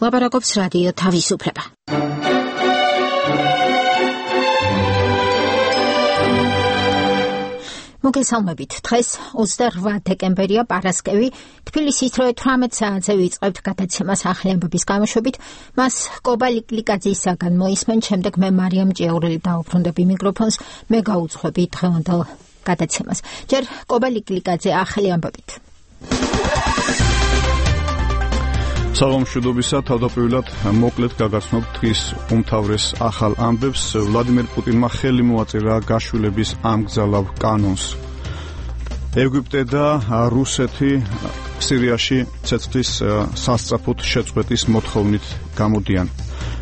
ლაპარაკობს რადიო თავისუფლება. მოგესალმებით. დღეს 28 დეკემბერია, პარასკევი. თბილისის დროით 18 საათზე ვიწყებთ გადაცემას ახალი ამბების გამოშვებით. მას კობა ლიკლიკაძისაგან მოისმენ, შემდეგ მე მარიამ ჭიაურელი დავუბრუნდები მიკროფონს, მე გაუძღვები დღევანდელ გადაცემას. ჯერ კობა ლიკლიკაძე ახალი ამბებით. სალამ მშვიდობისა, თავდაპირველად მოკლედ გაგაცნობთ დღის უმთავრეს ახალ ამბებს. ვლადიმერ პუტინმა ხელი მოაწერა გაშვილების ამგზავრავ კანონს. ეგვიპტე და რუსეთი სირიაში ცეცხლის სასწრაფოდ შეწყვეტის მოთხოვნით გამოდიან.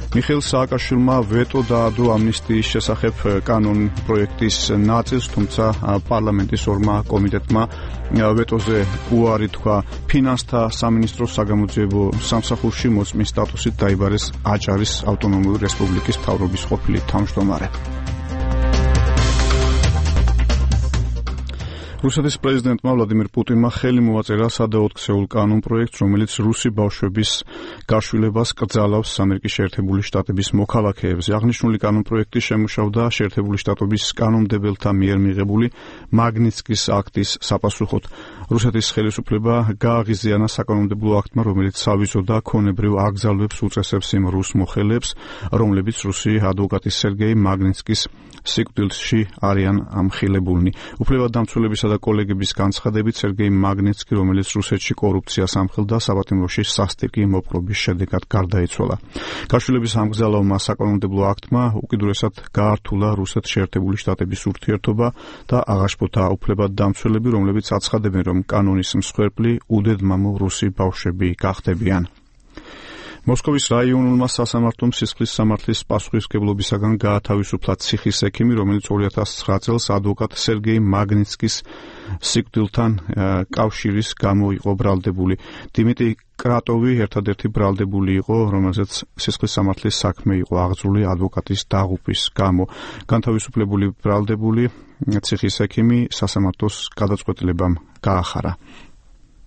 მიხეილ სააკაშვილმა ვეტო დაადო ამნისტიის შესახებ კანონ პროექტის ნაწილს, თუმცა პარლამენტის ორმა კომიტეტმა ვეტოზე უარი თქვა. ფინანსთა სამინისტროს საგამოძიებო სამსახურში მოწმის სტატუსით დაიბარეს აჭარის ავტონომიური რესპუბლიკის მთავრობის ყოფილი თავმჯდომარე. რუსეთის პრეზიდენტმა ვლადიმერ პუტინმა ხელი მოაწერა სადაოთხსეულ კანონ პროექტს, რომელიც რუსი ბავშვების გაშვილებას კრძალავს ამერიკის შეერთებული შტატების მოქალაქეებზე. აღნიშნული კანონ პროექტი შემუშავდა შეერთებული შტატების კანონმდებელთა მიერ მიღებული მაგნიცკის აქტის საპასუხოდ. რუსეთის ხელისუფლება გააღიზიანა საკანონმდებლო აქტმა, რომელიც სავიზოდა ქონებრივ აკრძალვებს უწესებს იმ რუს მოხელეებს, რომლებიც რუსი ადვოკატის სერგეი მაგნიცკის სიკვდილში არიან ამხილებულნი. უფლებადამცველებისა და კოლეგების განცხადებით, სერგეი მაგნიცკი, რომელიც რუსეთში კორუფციას ამხელდა, საპატიმროში სასტიკი მოპყრობის შედეგად გარდაიცვალა. გაშვილების ამგზავრავმა საკანონმდებლო აქტმა უკიდურესად გაართულა რუსეთის შეერთებული შტატების ურთიერთობა და აღაშფოთა უფლებადამცველები, რომლებიც აცხადებენ, რომ კანონის მსხვერპლი უდედმამო რუსი ბავშვები გახდებიან. მოსკოვის რაიონულმა სასამართლომ სისხლის სამართლის პასუხისმგებლობისაგან გაათავისუფლა ციხის ექიმი, რომელიც 2009 წელს ადვოკატ სერგეი მაგნიცკის სიკვდილთან კავშირის გამო იყო ბრალდებული. დიმიტრი კრატოვი ერთადერთი ბრალდებული იყო, რომელზეც სისხლის სამართლის საქმე იყო აღძრული ადვოკატის დაღუპვის გამო. განთავისუფლებული ბრალდებული ციხის ექიმი სასამართლოს გადაწყვეტილებამ გაახარა.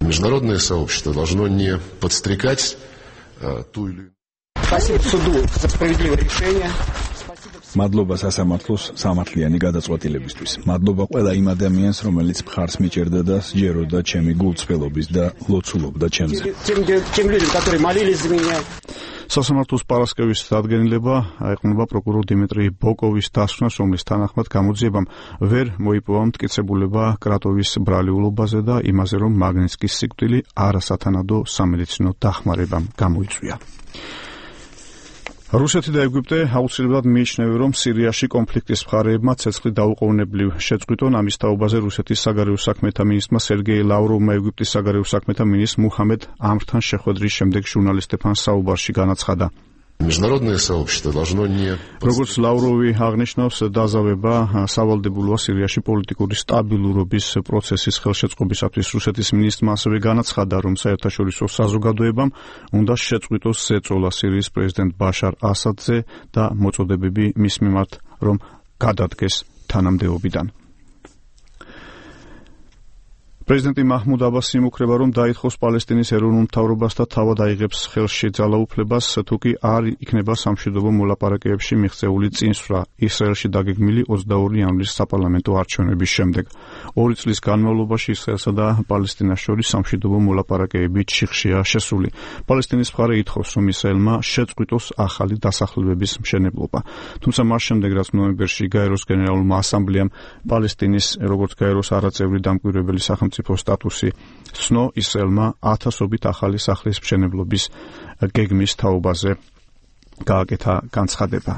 Международное сообщество должно не подстрекать ту или Спасибо суду за справедливое решение. მადლობა სასამართლოს სამართლიანი გადაწყვეტილებისთვის. მადლობა ყველა იმ ადამიანს, რომელიც მხარს მიჭერდა და სჯეროდა ჩემი გულწრფელობის და ლოცულობდა ჩემზე. Тем людям, которые молились за меня. სასამართლოს პარასკევის დადგენილება აეყნება პროკურორ დიმიტრი ბოკოვის დასვენას, რომლის თანახმად გამოძიებამ ვერ მოიპოვა მტკიცებულება კრატოვის ბრალიულობაზე და იმაზე, რომ მაგნიცკის სიკვდილი არასათანადო სამედიცინო დახმარებამ გამოიწვია. რუსეთი და ეგვიპტე აუცილებლად მიიჩნევენ, რომ სირიაში კონფლიქტის მხარეებმა ცეცხლი დაუყოვნებლივ შეწყვიტონ. ამის თაობაზე რუსეთის საგარეო საქმეთა მინისტრმა სერგეი ლავროვმა ეგვიპტის საგარეო საქმეთა მინისტრ მუჰამედ ამრთან შეხვედრის შემდეგ ჟურნალისტებთან საუბარში განაცხადა. Международное сообщество должно не როგორც ლავროვი აღნიშნავს, დაზავება სავალდებულოა სირიაში პოლიტიკური სტაბილურობის პროცესის ხელშეწყობისათვის. რუსეთის მინისტრმა ასევე განაცხადა, რომ საერთაშორისო საზოგადოებამ უნდა შეწყვიტოს ზეწოლა სირიის პრეზიდენტ ბაშარ ასადზე და მოწოდებები მის მიმართ, რომ გადადგეს თანამდებობიდან. პრეზიდენტი მაჰმუდ აბასი იმუქრება, რომ დაითხოვს პალესტინის ეროვნულ მთავრობას და თავად აიღებს ხელში ძალაუფლებას, თუ კი არ იქნება სამშვიდობო მოლაპარაკებებში მიღწეული წინსვლა ისრაელში დაგეგმილი 22 იანვრის საპარლამენტო არჩევნების შემდეგ. 2 წლის განმავლობაში ისრაელსა და პალესტინას შორის სამშვიდობო მოლაპარაკებები ჩიხშია შესული. პალესტინის მხარე ითხოვს, რომ ისრაელმა შეწყვიტოს ახალი დასახლებების მშენებლობა. თუმცა მას შემდეგ, რაც ნოემბერში გაეროს გენერალურმა ასამბლეამ პალესტინის როგორც გაეროს არაწევრი დამკვირვებელი სახელმწიფო სტატუსი ცნო, ისრაელმა ათასობით ახალი სახლის მშენებლობის გეგმის თაობაზე გააკეთა განცხადება.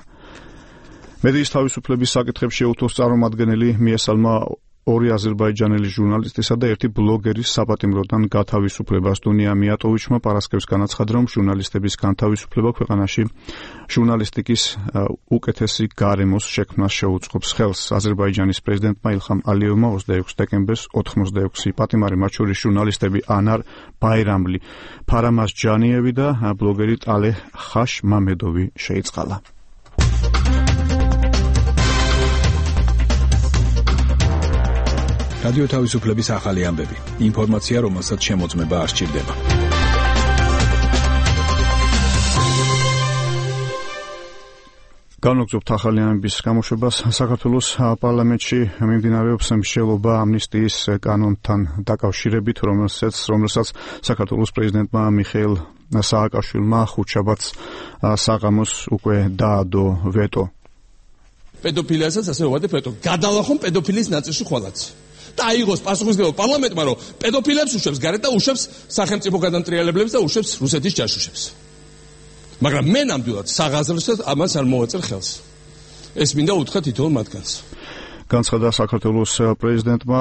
მედიის თავისუფლების საკითხებში უთოს წარმომადგენელი მიესალმა 2 აზერბაიჯანელი ჟურნალისტისა და 1 ბლოგერის საპატიმროდან გათავისუფლებას. დუნია მიატოვიჩმა პარასკევს განაცხადა, რომ ჟურნალისტების განთავისუფლება ქვეყანაში ჟურნალისტიკის უკეთესი გარემოს შექმნას შეუწყობს ხელს. აზერბაიჯანის პრეზიდენტმა ილხამ ალიევმა 26 დეკემბერს 86 პატიმარი, მათ შორის ჟურნალისტები ანარ ბაირამლი, ფარამაზ ჯანიევი და ბლოგერი ტალეჰ ხაშ მამედოვი შეიწყალა. რადიო თავისუფლების ახალი ამბები. ინფორმაცია, რომელსაც შემოწმება არ სჭირდება. განვაგრძობთ ახალიანების გამოშვებას. საქართველოს პარლამენტში მიმდინარეობს მსჯელობა ამნისტიის კანონთან დაკავშირებით, რომელსაც საქართველოს პრეზიდენტმა მიხეილ სააკაშვილმა ხუთშაბათს საღამოს უკვე დაადო ვეტო. პედოფილიასაც ასე ვვადებ ვეტო. გადალახონ პედოფილიის ნაწილში ხვალაც. და აიღოს პასუხისმგებლობა პარლამენტმა, რომ პედოფილებს უშვებს გარეთ და უშვებს სახელმწიფო გადამტრიალებლებს და უშვებს რუსეთის ჯაშუშებს. მაგრამ მე ნამდვილად საღაზრდოდ ამას არ მოვაწერ ხელს. ეს მინდა უთხრა თითოეულ მათგანს. განცხადა საქართველოს პრეზიდენტმა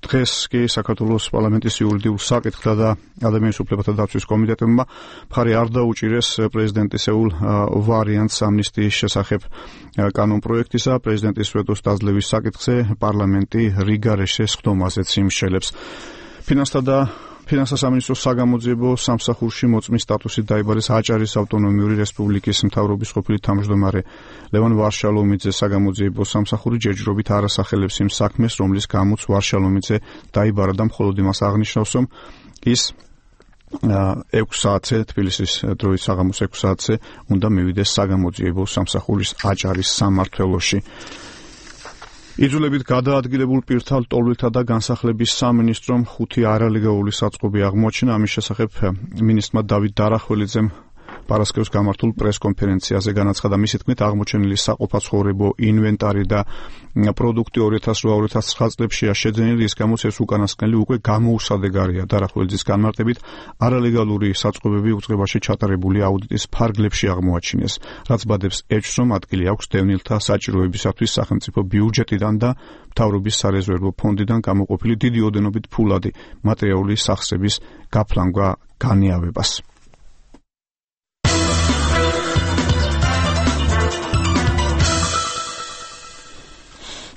დღეს კი საქართველოს პარლამენტის იურიდიულ საკითხთა და ადამიანის უფლებათა დაცვის კომიტეტებმა მხარი არ დაუჭირეს პრეზიდენტისეულ ვარიანტს ამნისტიის შესახებ კანონპროექტისა. პრეზიდენტის ვეტოს დაძლევის საკითხზე პარლამენტი რიგარეშე სხდომაზეც იმსჯელებს. ფინანსთა სამინისტროს საგამოძიებო სამსახურში მოწმის სტატუსით დაიბარეს აჭარის ავტონომიური რესპუბლიკის მთავრობის ყოფილი თავმჯდომარე ლევან ვარშალომიძე. საგამოძიებო სამსახური ჯერჯერობით არ ასახელებს იმ საქმეს, რომლის გამოც ვარშალომიძე დაიბარა და მხოლოდ იმას აღნიშნავს, რომ ის 6 საათზე თბილისის დროით საღამოს 6 საათზე უნდა მივიდეს საგამოძიებო სამსახურის აჭარის სამმართველოში. იძულებით გადაადგილებულ პირთა ლტოლვილთა და განსახლების სამინისტრომ 5 არალეგალური საწყობი აღმოაჩინა. ამის შესახებ მინისტრმა დავით დარახველიძემ პარასკევს გამართულ პრესკონფერენციაზე განაცხადა, მისი თქმით აღმოჩენილი საყოფაცხოვრებო ინვენტარი და პროდუქტი 2008-2009 წლებშია შეძენილი, რის გამოც ეს უკანასკნელი უკვე გამოუსადეგარია. დარახველიძის განმარტებით არალეგალური საწყობები უწყებაში ჩატარებული აუდიტის ფარგლებში აღმოაჩინეს, რაც ბადებს ეჭვს, რომ ადგილი აქვს დევნილთა საჭიროებისათვის სახელმწიფო ბიუჯეტიდან და მთავრობის სარეზერვო ფონდიდან გამოყოფილი დიდი ოდენობით ფულადი მატერიალური სახსრების გაფლანგვა განიავებას.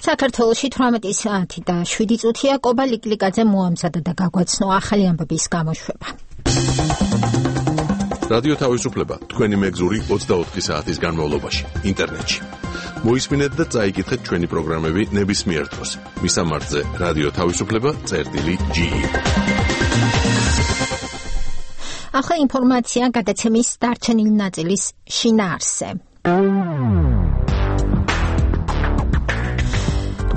საქართველოში 18 საათი და 7 წუთია. კობა ლიკლიკაძე მოამზადა და გაგვაცნო ახალი ამბების გამოშვება. რადიო თავისუფლება თქვენი მეგზური 24 საათის განმავლობაში ინტერნეტში. მოისმინეთ და წაიკითხეთ ჩვენი პროგრამები ნებისმიერ დროს. მისამართზე რადიო თავისუფლება.ge. ახლა ინფორმაცია გადაცემის დარჩენილი ნაწილის შინაარსზე.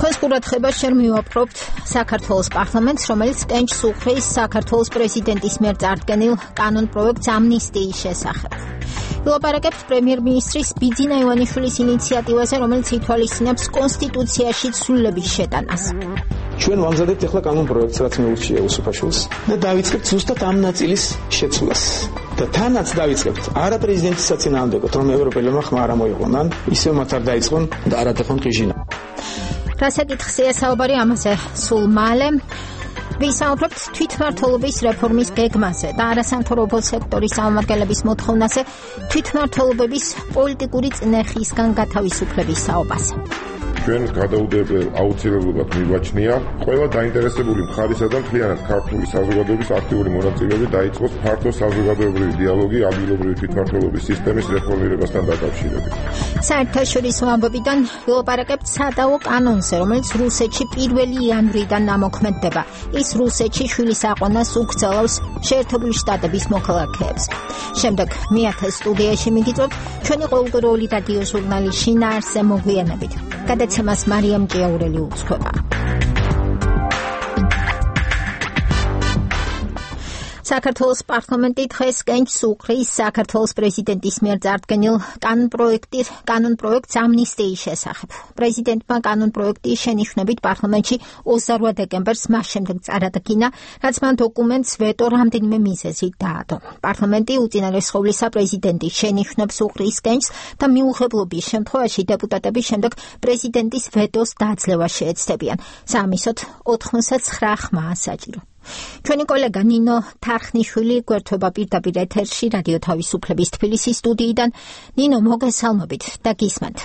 თქვენს ყურადღებას შენ მივაპყრობთ საქართველოს პარლამენტს, რომელიც კენჭს უხრის საქართველოს პრეზიდენტის მიერ წარდგენილ კანონპროექტს ამნისტიის შესახებ. ვილაპარაკებთ პრემიერ-მინისტრის ბიძინა ივანიშვილის ინიციატივაზე, რომელიც ითვალისწინებს კონსტიტუციაში ცვლილების შეტანას. ჩვენ ვამზადებთ ახლა კანონპროექტს, რაც მეურჩია უსუფაშვილს და დავიწყებთ ზუსტად ამ ნაწილის შეცვლას. და თანაც დავიწყებთ არა პრეზიდენტის საწინააღმდეგოდ, რომ ევროპელებმა ხმა არ მოიყვანან, ისევ მათ არ დაიწყონ და არ ატეხონ ყიჟინა. რასაკითხია საუბარი ამაზე სულ მალე. ვისაუბრებთ თვითმმართველობის რეფორმის გეგმაზე და არასამთავრობო სექტორის წარმომადგენლების მოთხოვნაზე თვითმმართველობების პოლიტიკური წნეხისგან გათავისუფლების საუბარზე. ჩვენ გადაუდებელ აუცილებლობად მივაჩნია ყველა დაინტერესებული მხარისა და მთლიანად ქართული საზოგადოების აქტიური მონაწილეობა დაიწყოს ფართო საზოგადოებრივი დიალოგი ადგილობრივი თვითმმართველობის სისტემის რეფორმირებასთან დაკავშირებით. საერთაშორისო ამბებიდან ვილაპარაკებთ სადაო კანონზე, რომელიც რუსეთში 1 იანვრიდან ამოქმედდება. ის რუსეთში შვილის აყვანას უკრძალავს შეერთებული შტატების მოქალაქეებს. შემდეგ მეათე სტუდიაში მიგიწევთ ჩვენი ყოველდღიური რადიო ჟურნალის შინაარსზე მოგვიანებით. გადაცემას მარიამ ჭიაურელი უძღვება. საქართველოს პარლამენტი დღეს კენჭს უხრის საქართველოს პრეზიდენტის მიერ წარდგენილ კანონპროექტს ამნისტიის შესახებ. პრეზიდენტმა კანონპროექტის შენიშვნებით პარლამენტში 28 დეკემბერს მას შემდეგ წარადგინა, რაც მან დოკუმენტს ვეტო რამდენიმე მიზეზით დაადო. პარლამენტი უწინარესხოვლისა პრეზიდენტის შენიშვნებს უხრის კენჭს და მიუღებლობის შემთხვევაში დეპუტატები შემდეგ პრეზიდენტის ვეტოს დაძლევა შეეცდებიან. საამისოდ 99 ხმაა საჭირო. ჩვენი კოლეგა ნინო თარხნიშვილი გვერდება პირდაპირ ეთერში რადიო თავისუფლების თბილისის სტუდიიდან. ნინო, მოგესალმებით და გისმენთ.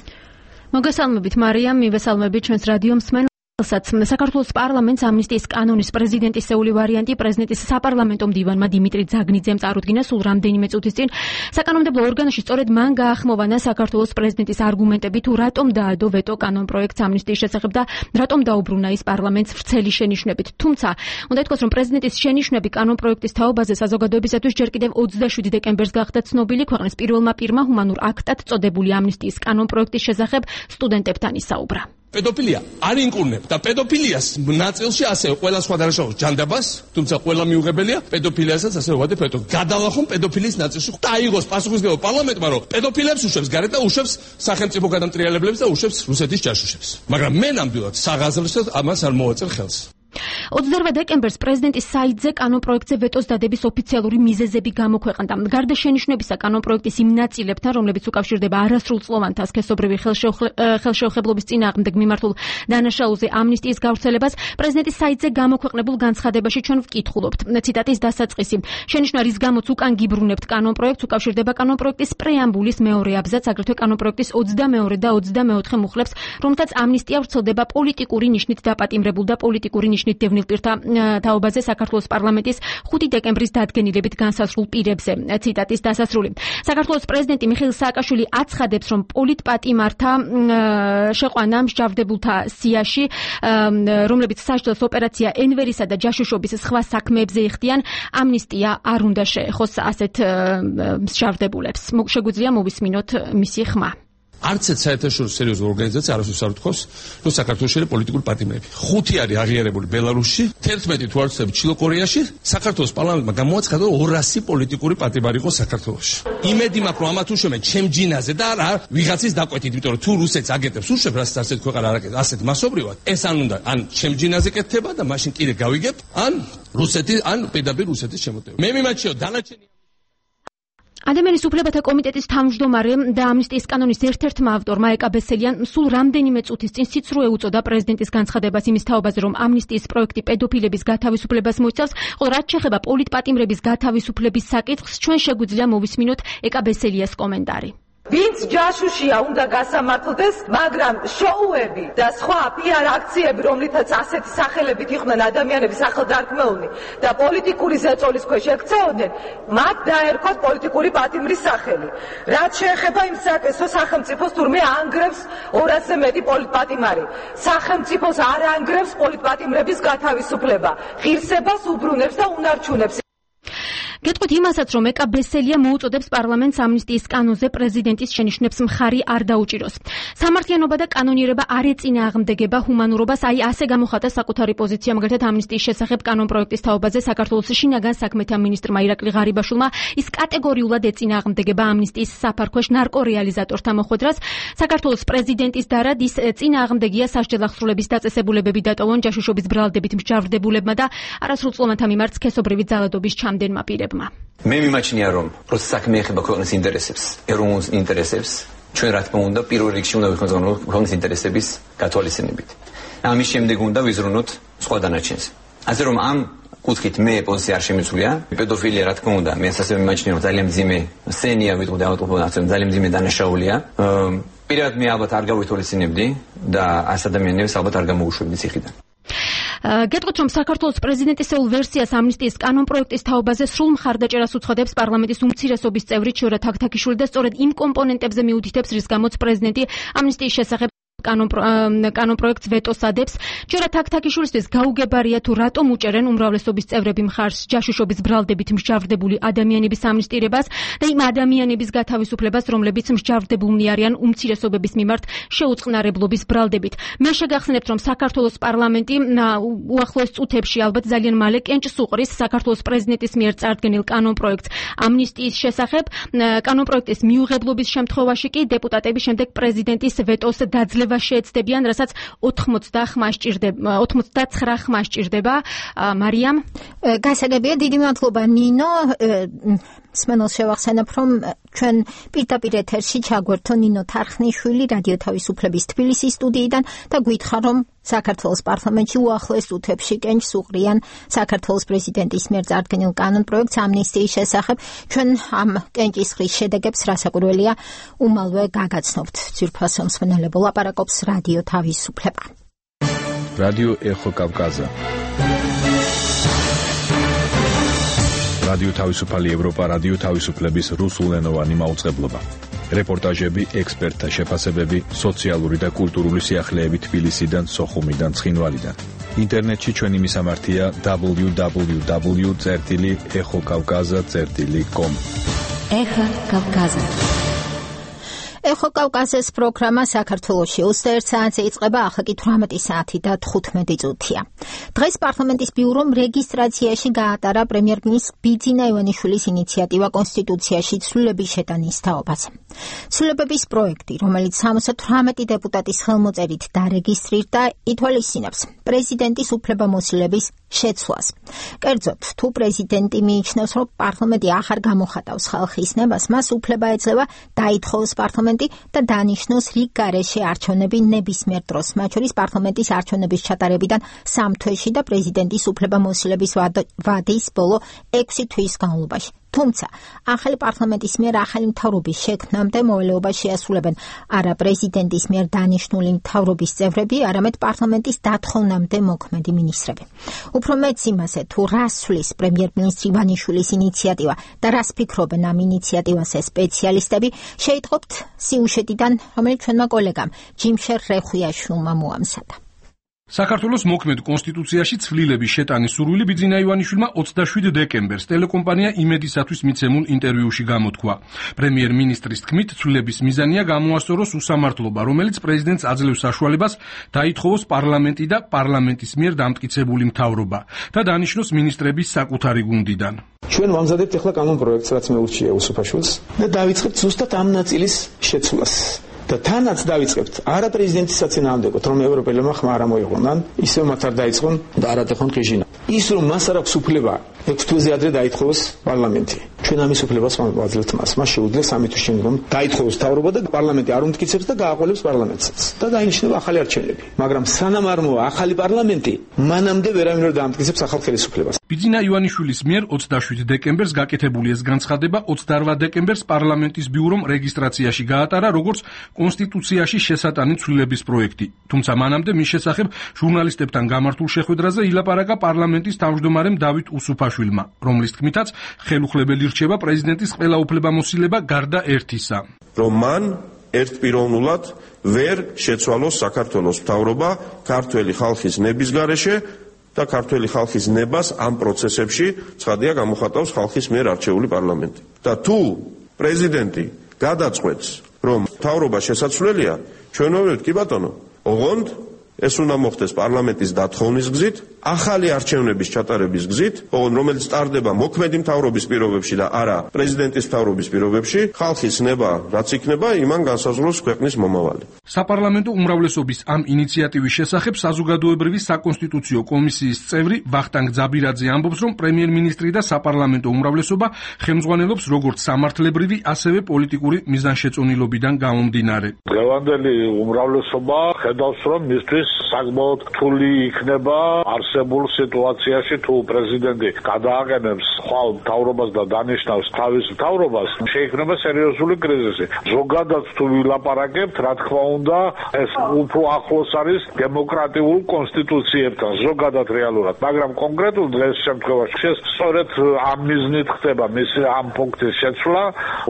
მოგესალმებით მარიამ, მივესალმებით ჩვენს რადიო მსმენელს. საქართველოს პარლამენტს ამნისტიის კანონის პრეზიდენტისეული ვარიანტი პრეზიდენტის საპარლამენტო მდივანმა დიმიტრი ძაგნიძემ წარუდგინა სულ რამდენიმე წუთის წინ. საკანონმდებლო ორგანოში სწორედ მან გაახმოვანა საქართველოს პრეზიდენტის არგუმენტები თუ რატომ დაადო ვეტო კანონპროექტს ამნისტიის შესახებ და რატომ დაუბრუნა ის პარლამენტს ვრცელი შენიშვნებით. თუმცა, უნდა ითქვას, რომ პრეზიდენტის შენიშვნები კანონპროექტის თაობაზე საზოგადოებისათვის ჯერ კიდევ 27 დეკემბერს გახდა ცნობილი ქვეყნის პირველმა პირმა ჰუმანურ აქტად წოდებული ამნისტიის კანონპროექტის შესახებ სტუდენტებთან ისაუბრა. პედოფილია არ ინკურნებთ და პედოფილიას ნაწილში ასევე ყველა სხვა დანაშაულს ჯანდაბას, თუმცა ყველა მიუღებელია პედოფილიასაც ასევე ვადებ ეტო. გადალახონ პედოფილიის ნაწილში და აიღოს პასუხისმგებლობა პარლამენტმა, რომ პედოფილებს უშვებს გარეთ და უშვებს სახელმწიფო გადამტრიალებლებს და უშვებს რუსეთის ჯაშუშებს. მაგრამ მე ნამდვილად საღაზრდოდ ამას არ მოვაწერ ხელს. 28 დეკემბერს პრეზიდენტის საიტზე კანონპროექტზე ვეტოს დადების ოფიციალური მიზეზები გამოქვეყნდა. გარდა შენიშვნებისა კანონპროექტის იმ ნაწილებთან, რომლებიც უკავშირდება არასრულწლოვანთა სქესობრივი ხელშეუხებლობის წინააღმდეგ მიმართულ დანაშაულზე ამნისტიის გავრცელებას, პრეზიდენტის საიტზე გამოქვეყნებულ განცხადებაში ჩვენ ვკითხულობთ. ციტატის დასაწყისი. შენიშვნა, რის გამოც უკან გიბრუნებთ კანონპროექტს, უკავშირდება კანონპროექტის პრეამბულის მეორე აბზაცს, აგრეთვე კანონპროექტის 22 და 24 მუხლებს, რომელთაც ამნისტია ვრცელდება პოლიტიკური ნიშნით დაპატიმრებულ და პოლიტიკური ნიშნით დევნილ პირთა თაობაზე საქართველოს პარლამენტის 5 დეკემბრის დადგენილებით განსაზღვრულ პირებზე. ციტატის დასასრული. საქართველოს პრეზიდენტი მიხეილ სააკაშვილი აცხადებს, რომ პოლიტპატიმართა შეყვანა მსჯავრდებულთა სიაში, რომლებიც სასჯელს ოპერაცია ენვერისა და ჯაშუშობის სხვა საქმეებზე იხდიან, ამნისტია არ უნდა შეეხოს ასეთ მსჯავრდებულებს. შეგვიძლია მოვისმინოთ მისი ხმა. არც ერთ საერთაშორისო სერიოზულ ორგანიზაციას არ ასოცირებს, რომ საქართველოში არის პოლიტიკური პატიმრები. 5 არის აღიარებული ბელარუსში, 11 თუ არ ვცდები ჩილო-კორეაში, საქართველოს პარლამენტმა გამოაცხადა 200 პოლიტიკური პატიმარი იყო საქართველოში. იმედი მაქვს, რომ ამათ უშვებენ ჩემ ჯინაზე და არა ვიღაცის დაკვეთით, იმიტომ რომ თუ რუსეთს აგეთებს უშვებ, რასაც ასეთ ქვეყანა არ აკეთებს, ასეთ მასობრივად, ეს ან უნდა ან ჩემ ჯინაზე კეთდება და მაშინ კიდე გავიგებ, ან რუსეთი, ან პირდაპირ რუსეთის შემოტევა. მე მიმაჩიო დანარჩენი ადამიანის უფლებათა კომიტეტის თავმჯდომარე და ამნისტიის კანონის ერთ-ერთმა ავტორმა ეკა ბესელიან სულ რამდენიმე წუთის წინ სიცრუე უწოდა პრეზიდენტის განცხადებას იმის თაობაზე, რომ ამნისტიის პროექტი პედოფილების გათავისუფლებას მოიცავს, ხოლო რაც შეეხება პოლიტპატიმრების გათავისუფლების საკითხს, ჩვენ შეგვიძლია მოვისმინოთ ეკა ბესელიას კომენტარი. ვინც ჯაშუშია უნდა გასამართლდეს, მაგრამ შოუები და სხვა PR აქციები, რომლითაც ასეთი სახელებით იყვნენ ადამიანების ახალდარქმეულნი და პოლიტიკური ზეწოლის ქვეშ ექცეოდნენ, მათ დაერქვათ პოლიტიკური პატიმრის სახელი. რაც შეეხება იმ საკითხს, სახელმწიფოს თურმე ანგრევს 200-ზე მეტი პოლიტპატიმარი. სახელმწიფოს არ ანგრევს პოლიტპატიმრების გათავისუფლება, ღირსებას უბრუნებს და უნარჩუნებს. გეტყვით იმასაც, რომ ეკა ბესელია მოუწოდებს პარლამენტს ამნისტიის კანონზე პრეზიდენტის შენიშვნებს მხარი არ დაუჭიროს. სამართლიანობა და კანონიერება არ ეწინააღმდეგება ჰუმანურობას, აი ასე გამოხატა საკუთარი პოზიცია მაგალითად ამნისტიის შესახებ კანონპროექტის თაობაზე საქართველოს შინაგან საქმეთა მინისტრმა ირაკლი ღარიბაშვილმა. ის კატეგორიულად ეწინააღმდეგება ამნისტიის საფარქვეშ ნარკორეალიზატორთა მოხვედრას. საქართველოს პრეზიდენტის დარად ის წინააღმდეგია სასჯელ აღსრულების დაწესებულებები დატოვონ ჯაშუშობის ბრალდებით მსჯავრდებულებმა და არასრულწლოვანთა მიმართ სქესობრივი ძალადობის ჩამდენმა პირებმა. მე მიმაჩნია, რომ როცა საქმე ეხება ქვეყნის ინტერესებს, ეროვნულ ინტერესებს, ჩვენ რა თქმა უნდა პირველ რიგში უნდა ვიხმაროთ ქვეყნის ინტერესების გათვალისწინებით. ამის შემდეგ უნდა ვიზრუნოთ სხვა დანარჩენს. ასე რომ ამ კუთხით მე პოზიცია არ შემიძლია. პედოფილია რა თქმა უნდა, მე ასევე მიმაჩნია, რომ ძალიან მძიმე სცენია, ვიტყოდი ავტოპროფესიონალს, ძალიან მძიმე დანაშაულია. პირადად მე ალბათ არ გავითვალისწინებდი და ას ადამიანებს ალბათ არ გამოუშვებდი ციხიდან. გეტყვით, რომ საქართველოს პრეზიდენტისეულ ვერსიას ამნისტიის კანონპროექტის თაობაზე სრულ მხარდაჭერას უცხადებს პარლამენტის უმცირესობის წევრი ჩიორა თაქთაქიშვილი და სწორედ იმ კომპონენტებზე მიუთითებს, რის გამოც პრეზიდენტი ამნისტიის შესახებ კანონპროექტს ვეტოს ადებს. ჩიორა თაქთაქიშვილისთვის გაუგებარია თუ რატომ უჭერენ უმრავლესობის წევრები მხარს ჯაშუშობის ბრალდებით მსჯავრდებული ადამიანების ამნისტირებას და იმ ადამიანების გათავისუფლებას, რომლებიც მსჯავრდებულნი არიან უმცირესობების მიმართ შეუწყნარებლობის ბრალდებით. მე შეგახსენებთ, რომ საქართველოს პარლამენტი უახლოეს წუთებში ალბათ ძალიან მალე კენჭს უყრის საქართველოს პრეზიდენტის მიერ წარდგენილ კანონპროექტს ამნისტიის შესახებ. კანონპროექტის მიუღებლობის შემთხვევაში კი დეპუტატები შემდეგ პრეზიდენტის ვეტოს დაძლევა შეეცდებიან, რასაც 89 ხმა სჭირდება. მარიამ, გასაგებია, დიდი მადლობა ნინო. სმენელს შევახსენებ, რომ ჩვენ პირდაპირ ეთერში ჩაგვერთო ნინო თარხნიშვილი რადიო თავისუფლების თბილისის სტუდიიდან და გვითხრა, რომ საქართველოს პარლამენტში უახლოეს წუთებში კენჭს უყრიან საქართველოს პრეზიდენტის მიერ წარდგენილ კანონპროექტს ამნისტიის შესახებ. ჩვენ ამ კენჭისყრის შედეგებს რასაკვირველია უმალვე გაგაცნობთ. ძვირფასო მსმენელებო, ლაპარაკობს რადიო თავისუფლება. რადიო ეხო კავკაზა. რადიო თავისუფალი ევროპა, რადიო თავისუფლების რუსულენოვანი მაუწყებლობა. რეპორტაჟები, ექსპერტთა შეფასებები, სოციალური და კულტურული სიახლეები თბილისიდან, სოხუმიდან, ცხინვალიდან. ინტერნეტში ჩვენი მისამართია www.exokavkaza.com. ეხა კავკაზა. ეხო კავკაზის პროგრამა საქართველოში 21 საათზე იწყება, ახლა კი 18 საათი და 15 წუთია. დღეს პარლამენტის ბიურომ რეგისტრაციაში გაატარა პრემიერ-მინისტრ ბიძინა ივანიშვილის ინიციატივა კონსტიტუციაში ცვლილების შეტანის თაობაზე. ცვლილებების პროექტი, რომელიც 78 დეპუტატის ხელმოწერით დარეგისტრირდა, ითვალისწინებს პრეზიდენტის უფლებამოსილების შეცვლას. კერძოდ, თუ პრეზიდენტი მიიჩნევს, რომ პარლამენტი ახარ გამოხატავს ხალხის ნებას, მას უფლება ეძლევა დაითხოვოს პარლამენტი და დანიშნოს რიგ გარეშე არჩევნები ნებისმიერ დროს, მათ შორის პარლამენტის არჩევნების ჩატარებიდან 3 თვეში და პრეზიდენტის უფლებამოსილების ვადის ბოლო 6 თვის განმავლობაში. თუმცა, ახალი პარლამენტის მიერ ახალი მთავრობის შექმნამდე მოვალეობას შეასრულებენ არა პრეზიდენტის მიერ დანიშნული მთავრობის წევრები, არამედ პარლამენტის დათხოვნამდე მოქმედი მინისტრები. უფრო მეც იმაზე, თუ რას ცვლის პრემიერ-მინისტრი ივანიშვილის ინიციატივა და რას ფიქრობენ ამ ინიციატივაზე სპეციალისტები, შეიტყობთ სიუჟეტიდან, რომელიც ჩვენმა კოლეგამ ჯიმშერ რეხვიაშვილმა მოამზადა. საქართველოს მოქმედ კონსტიტუციაში ცვლილების შეტანის სურვილი ბიძინა ივანიშვილმა 27 დეკემბერს ტელეკომპანია იმედისათვის მიცემულ ინტერვიუში გამოთქვა. პრემიერ-მინისტრის თქმით, ცვლილების მიზანია გამოასწოროს უსამართლობა, რომელიც პრეზიდენტს აძლევს საშუალებას დაითხოვოს პარლამენტი და პარლამენტის მიერ დამტკიცებული მთავრობა და დანიშნოს მინისტრების საკუთარი გუნდიდან. ჩვენ ვამზადებთ ახლა კანონპროექტს, რაც მეურჩია უსუფაშვილს და დავიწყებთ ზუსტად ამ ნაწილის შეცვლას. და თანაც დავიწყებთ არა პრეზიდენტის საწინააღმდეგოდ, რომ ევროპელებმა ხმა არ მოიღონან, ისევ მათ არ დაიწყონ და არ ატეხონ ხიჟინა. ის რომ მას არ აქვს უფლება 6 თვეზე ადრე დაითხოვოს პარლამენტი. ჩვენ ამის უფლებას ვაძლევთ მას. მას შეუძლია 3 თვის შემდგომ დაითხოვოს მთავრობა და პარლამენტი არ უმტკიცებს და გააყოლებს პარლამენტსაც და დაინიშნება ახალი არჩევნები. მაგრამ სანამ არ მოვა ახალი პარლამენტი, მანამდე ვერავინ ვერ დაამტკიცებს ახალ ხელისუფლებას. ბიძინა ივანიშვილის მიერ 27 დეკემბერს გაკეთებული ეს განცხადება 28 დეკემბერს პარლამენტის ბიურომ რეგისტრაციაში გაატარა, როგორც კონსტიტუციაში შესატანი ცვლილების პროექტი. თუმცა მანამდე მის შესახებ ჟურნალისტებთან გამართულ შეხვედრაზე ილაპარაკა პარლამენტის თავმჯდომარემ დავით უსუფაშვილმა, რომლის თქმითაც ხელუხლებელი რჩება პრეზიდენტის ყველა უფლებამოსილება გარდა ერთისა. რომ მან ერთპიროვნულად ვერ შეცვალოს საქართველოს მთავრობა ქართველი ხალხის ნების გარეშე და ქართველი ხალხის ნებას ამ პროცესებში ცხადია გამოხატავს ხალხის მიერ არჩეული პარლამენტი. და თუ პრეზიდენტი გადაწყვეტს რომ მთავრობა შესაძლებელია, ჩვენ ვერთ კი ბატონო, ოღონდ ეს უნდა მოხდეს პარლამენტის დათხოვნის გზით, ახალი არჩევნების ჩატარების გზით, ოღონდ რომელიც ტარდება მოქმედი მთავრობის პირობებში და არა პრეზიდენტის მთავრობის პირობებში, ხალხის ნება რაც იქნება, იმან განსაზღვროს ქვეყნის მომავალი. საპარლამენტო უმრავლესობის ამ ინიციატივის შესახებ საზოგადოებრივი საკონსტიტუციო კომისიის წევრი ვახტანგ ძაბირაძე ამბობს, რომ პრემიერ-მინისტრი და საპარლამენტო უმრავლესობა ხელმძღვანელობს როგორც სამართლებრივი, ასევე პოლიტიკური მიზანშეწონილობიდან გამომდინარე. დღევანდელი უმრავლესობა ხედავს, რომ მისთვის საკმაოდ რთული იქნება არსებულ სიტუაციაში, თუ პრეზიდენტი გადააყენებს ხვალ მთავრობას და დანიშნავს თავის მთავრობას, შეიქმნება სერიოზული კრიზისი. ზოგადად თუ ვილაპარაკებთ, რა თქმა უნდა, ეს უფრო ახლოს არის დემოკრატიულ კონსტიტუციებთან, ზოგადად რეალურად, მაგრამ კონკრეტულ დღეს შემთხვევაში სწორედ ამ მიზნით ხდება მისი ამ ფუნქციის შეცვლა,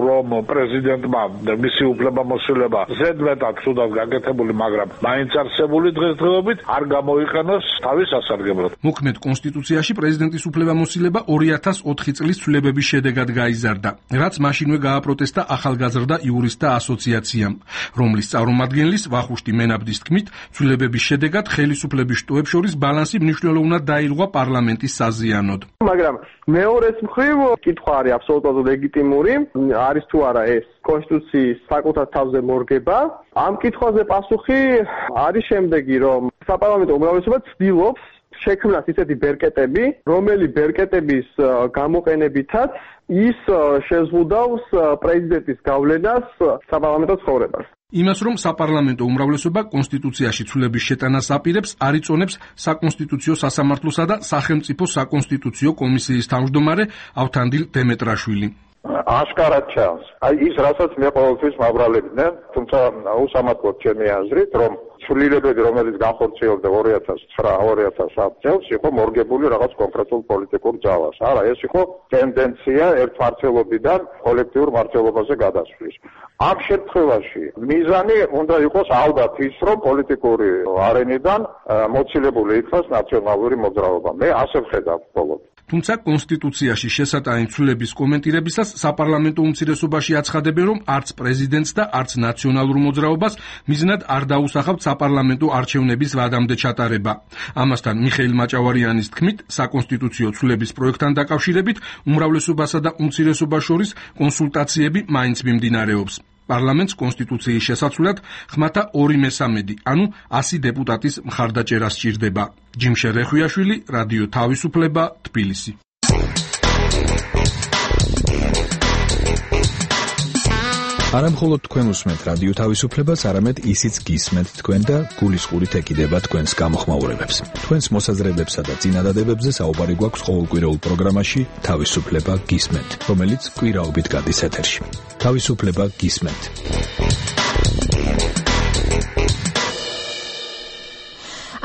რომ პრეზიდენტმა მისი უფლებამოსილება ზედმეტად თუდად გაკეთებული, მაგრამ მაინც არსებული დღესდღეობით არ გამოიყენოს თავის ასარგებლოდ. მოქმედ კონსტიტუციაში პრეზიდენტის უფლებამოსილება 2004 წლის ცვლილებების შედეგად გაიზარდა, რაც მაშინვე გააპროტესტა ახალგაზრდა იურისტთა ასოციაციამ, რომლის წარმომადგენლის ვახუშტი მენაბდის თქმით, ცვლილებების შედეგად ხელისუფლების შტოებს შორის ბალანსი მნიშვნელოვნად დაირღვა პარლამენტის საზიანოდ. მაგრამ მეორეს მხრივ კითხვა არის აბსოლუტურად ლეგიტიმური, არის თუ არა ეს კონსტიტუციის საკუთარ თავზე მორგება. ამ კითხვაზე პასუხი არის შემდეგი, რომ საპარლამენტო უმრავლესობა ცდილობს შექმნას ისეთი ბერკეტები, რომელი ბერკეტების გამოყენებითაც ის შეზღუდავს პრეზიდენტის გავლენას საპარლამენტო ცხოვრებას. იმას, რომ საპარლამენტო უმრავლესობა კონსტიტუციაში ცვლილების შეტანას აპირებს, არ იწონებს საკონსტიტუციო სასამართლოსა და სახელმწიფო საკონსტიტუციო კომისიის თავმჯდომარე ავთანდილ დემეტრაშვილი. აშკარად ჩანს. ის რასაც მე ყოველთვის მაბრალებდნენ, თუმცა უსამართლოდ ჩემი აზრით, რომ ცვლილებები, რომელიც განხორციელდა 2009-2010 წელს, იყო მორგებული რაღაც კონკრეტულ პოლიტიკურ ძალას. არა, ეს იყო ტენდენცია ერთმართველობიდან კოლექტიურ მართლობაზე გადასვლის. ამ შემთხვევაში მიზანი უნდა იყოს ალბათ ის, რომ პოლიტიკური არენიდან მოცილებული იქნას ნაციონალური მოძრაობა. მე ასე ვხედავ ბოლოს. თუმცა კონსტიტუციაში შესატანი ცვლილების კომენტირებისას საპარლამენტო უმცირესობაში აცხადებენ, რომ არც პრეზიდენტს და არც ნაციონალურ მოძრაობას მიზნად არ დაუსახავთ საპარლამენტო არჩევნების ვადამდე ჩატარება. ამასთან მიხეილ მაჭავარიანის თქმით, საკონსტიტუციო ცვლილების პროექტთან დაკავშირებით უმრავლესობასა და უმცირესობას შორის კონსულტაციები მაინც მიმდინარეობს. პარლამენტს კონსტიტუციის შესაცვლად ხმათა 2/3, ანუ 100 დეპუტატის მხარდაჭერა სჭირდება. ჯიმშე რეხვიაშვილი, რადიო თავისუფლება, თბილისი. არა მხოლოდ თქვენ უსმენთ რადიო თავისუფლებას, არამედ ისიც გისმენთ თქვენ და გულისყურით ეკიდება თქვენს გამოხმაურებებს. თქვენს მოსაზრებებსა და წინადადებებზე საუბარი გვაქვს ყოველკვირეულ პროგრამაში თავისუფლება გისმენთ, რომელიც კვირაობით გადის ეთერში. თავისუფლება გისმენთ.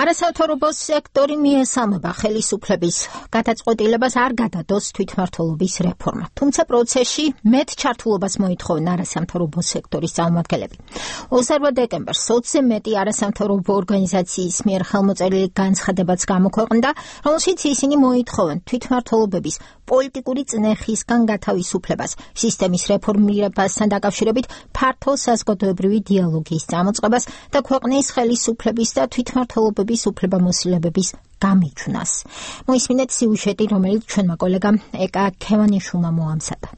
არასამთავრობო სექტორი მიესალმება ხელისუფლების გადაწყვეტილებას არ გადადოს თვითმმართველობის რეფორმა. თუმცა პროცესში მეტ ჩართულობას მოითხოვენ არასამთავრობო სექტორის წარმომადგენლები. 28 დეკემბერს 20-ზე მეტი არასამთავრობო ორგანიზაციის მიერ ხელმოწერილი განცხადებაც გამოქვეყნდა, რომელშიც ისინი მოითხოვენ თვითმმართველობების პოლიტიკური წნეხისგან გათავისუფლებას, სისტემის რეფორმირებასთან დაკავშირებით ფართო საზოგადოებრივი დიალოგის წამოწყებას და ქვეყნის ხელისუფლების და თვითმმართველობების უფლებამოსილებების გამიჩნას. მოისმინეთ სიუჟეტი, რომელიც ჩვენმა კოლეგამ ეკა ქევანიშვილმა მოამზადა.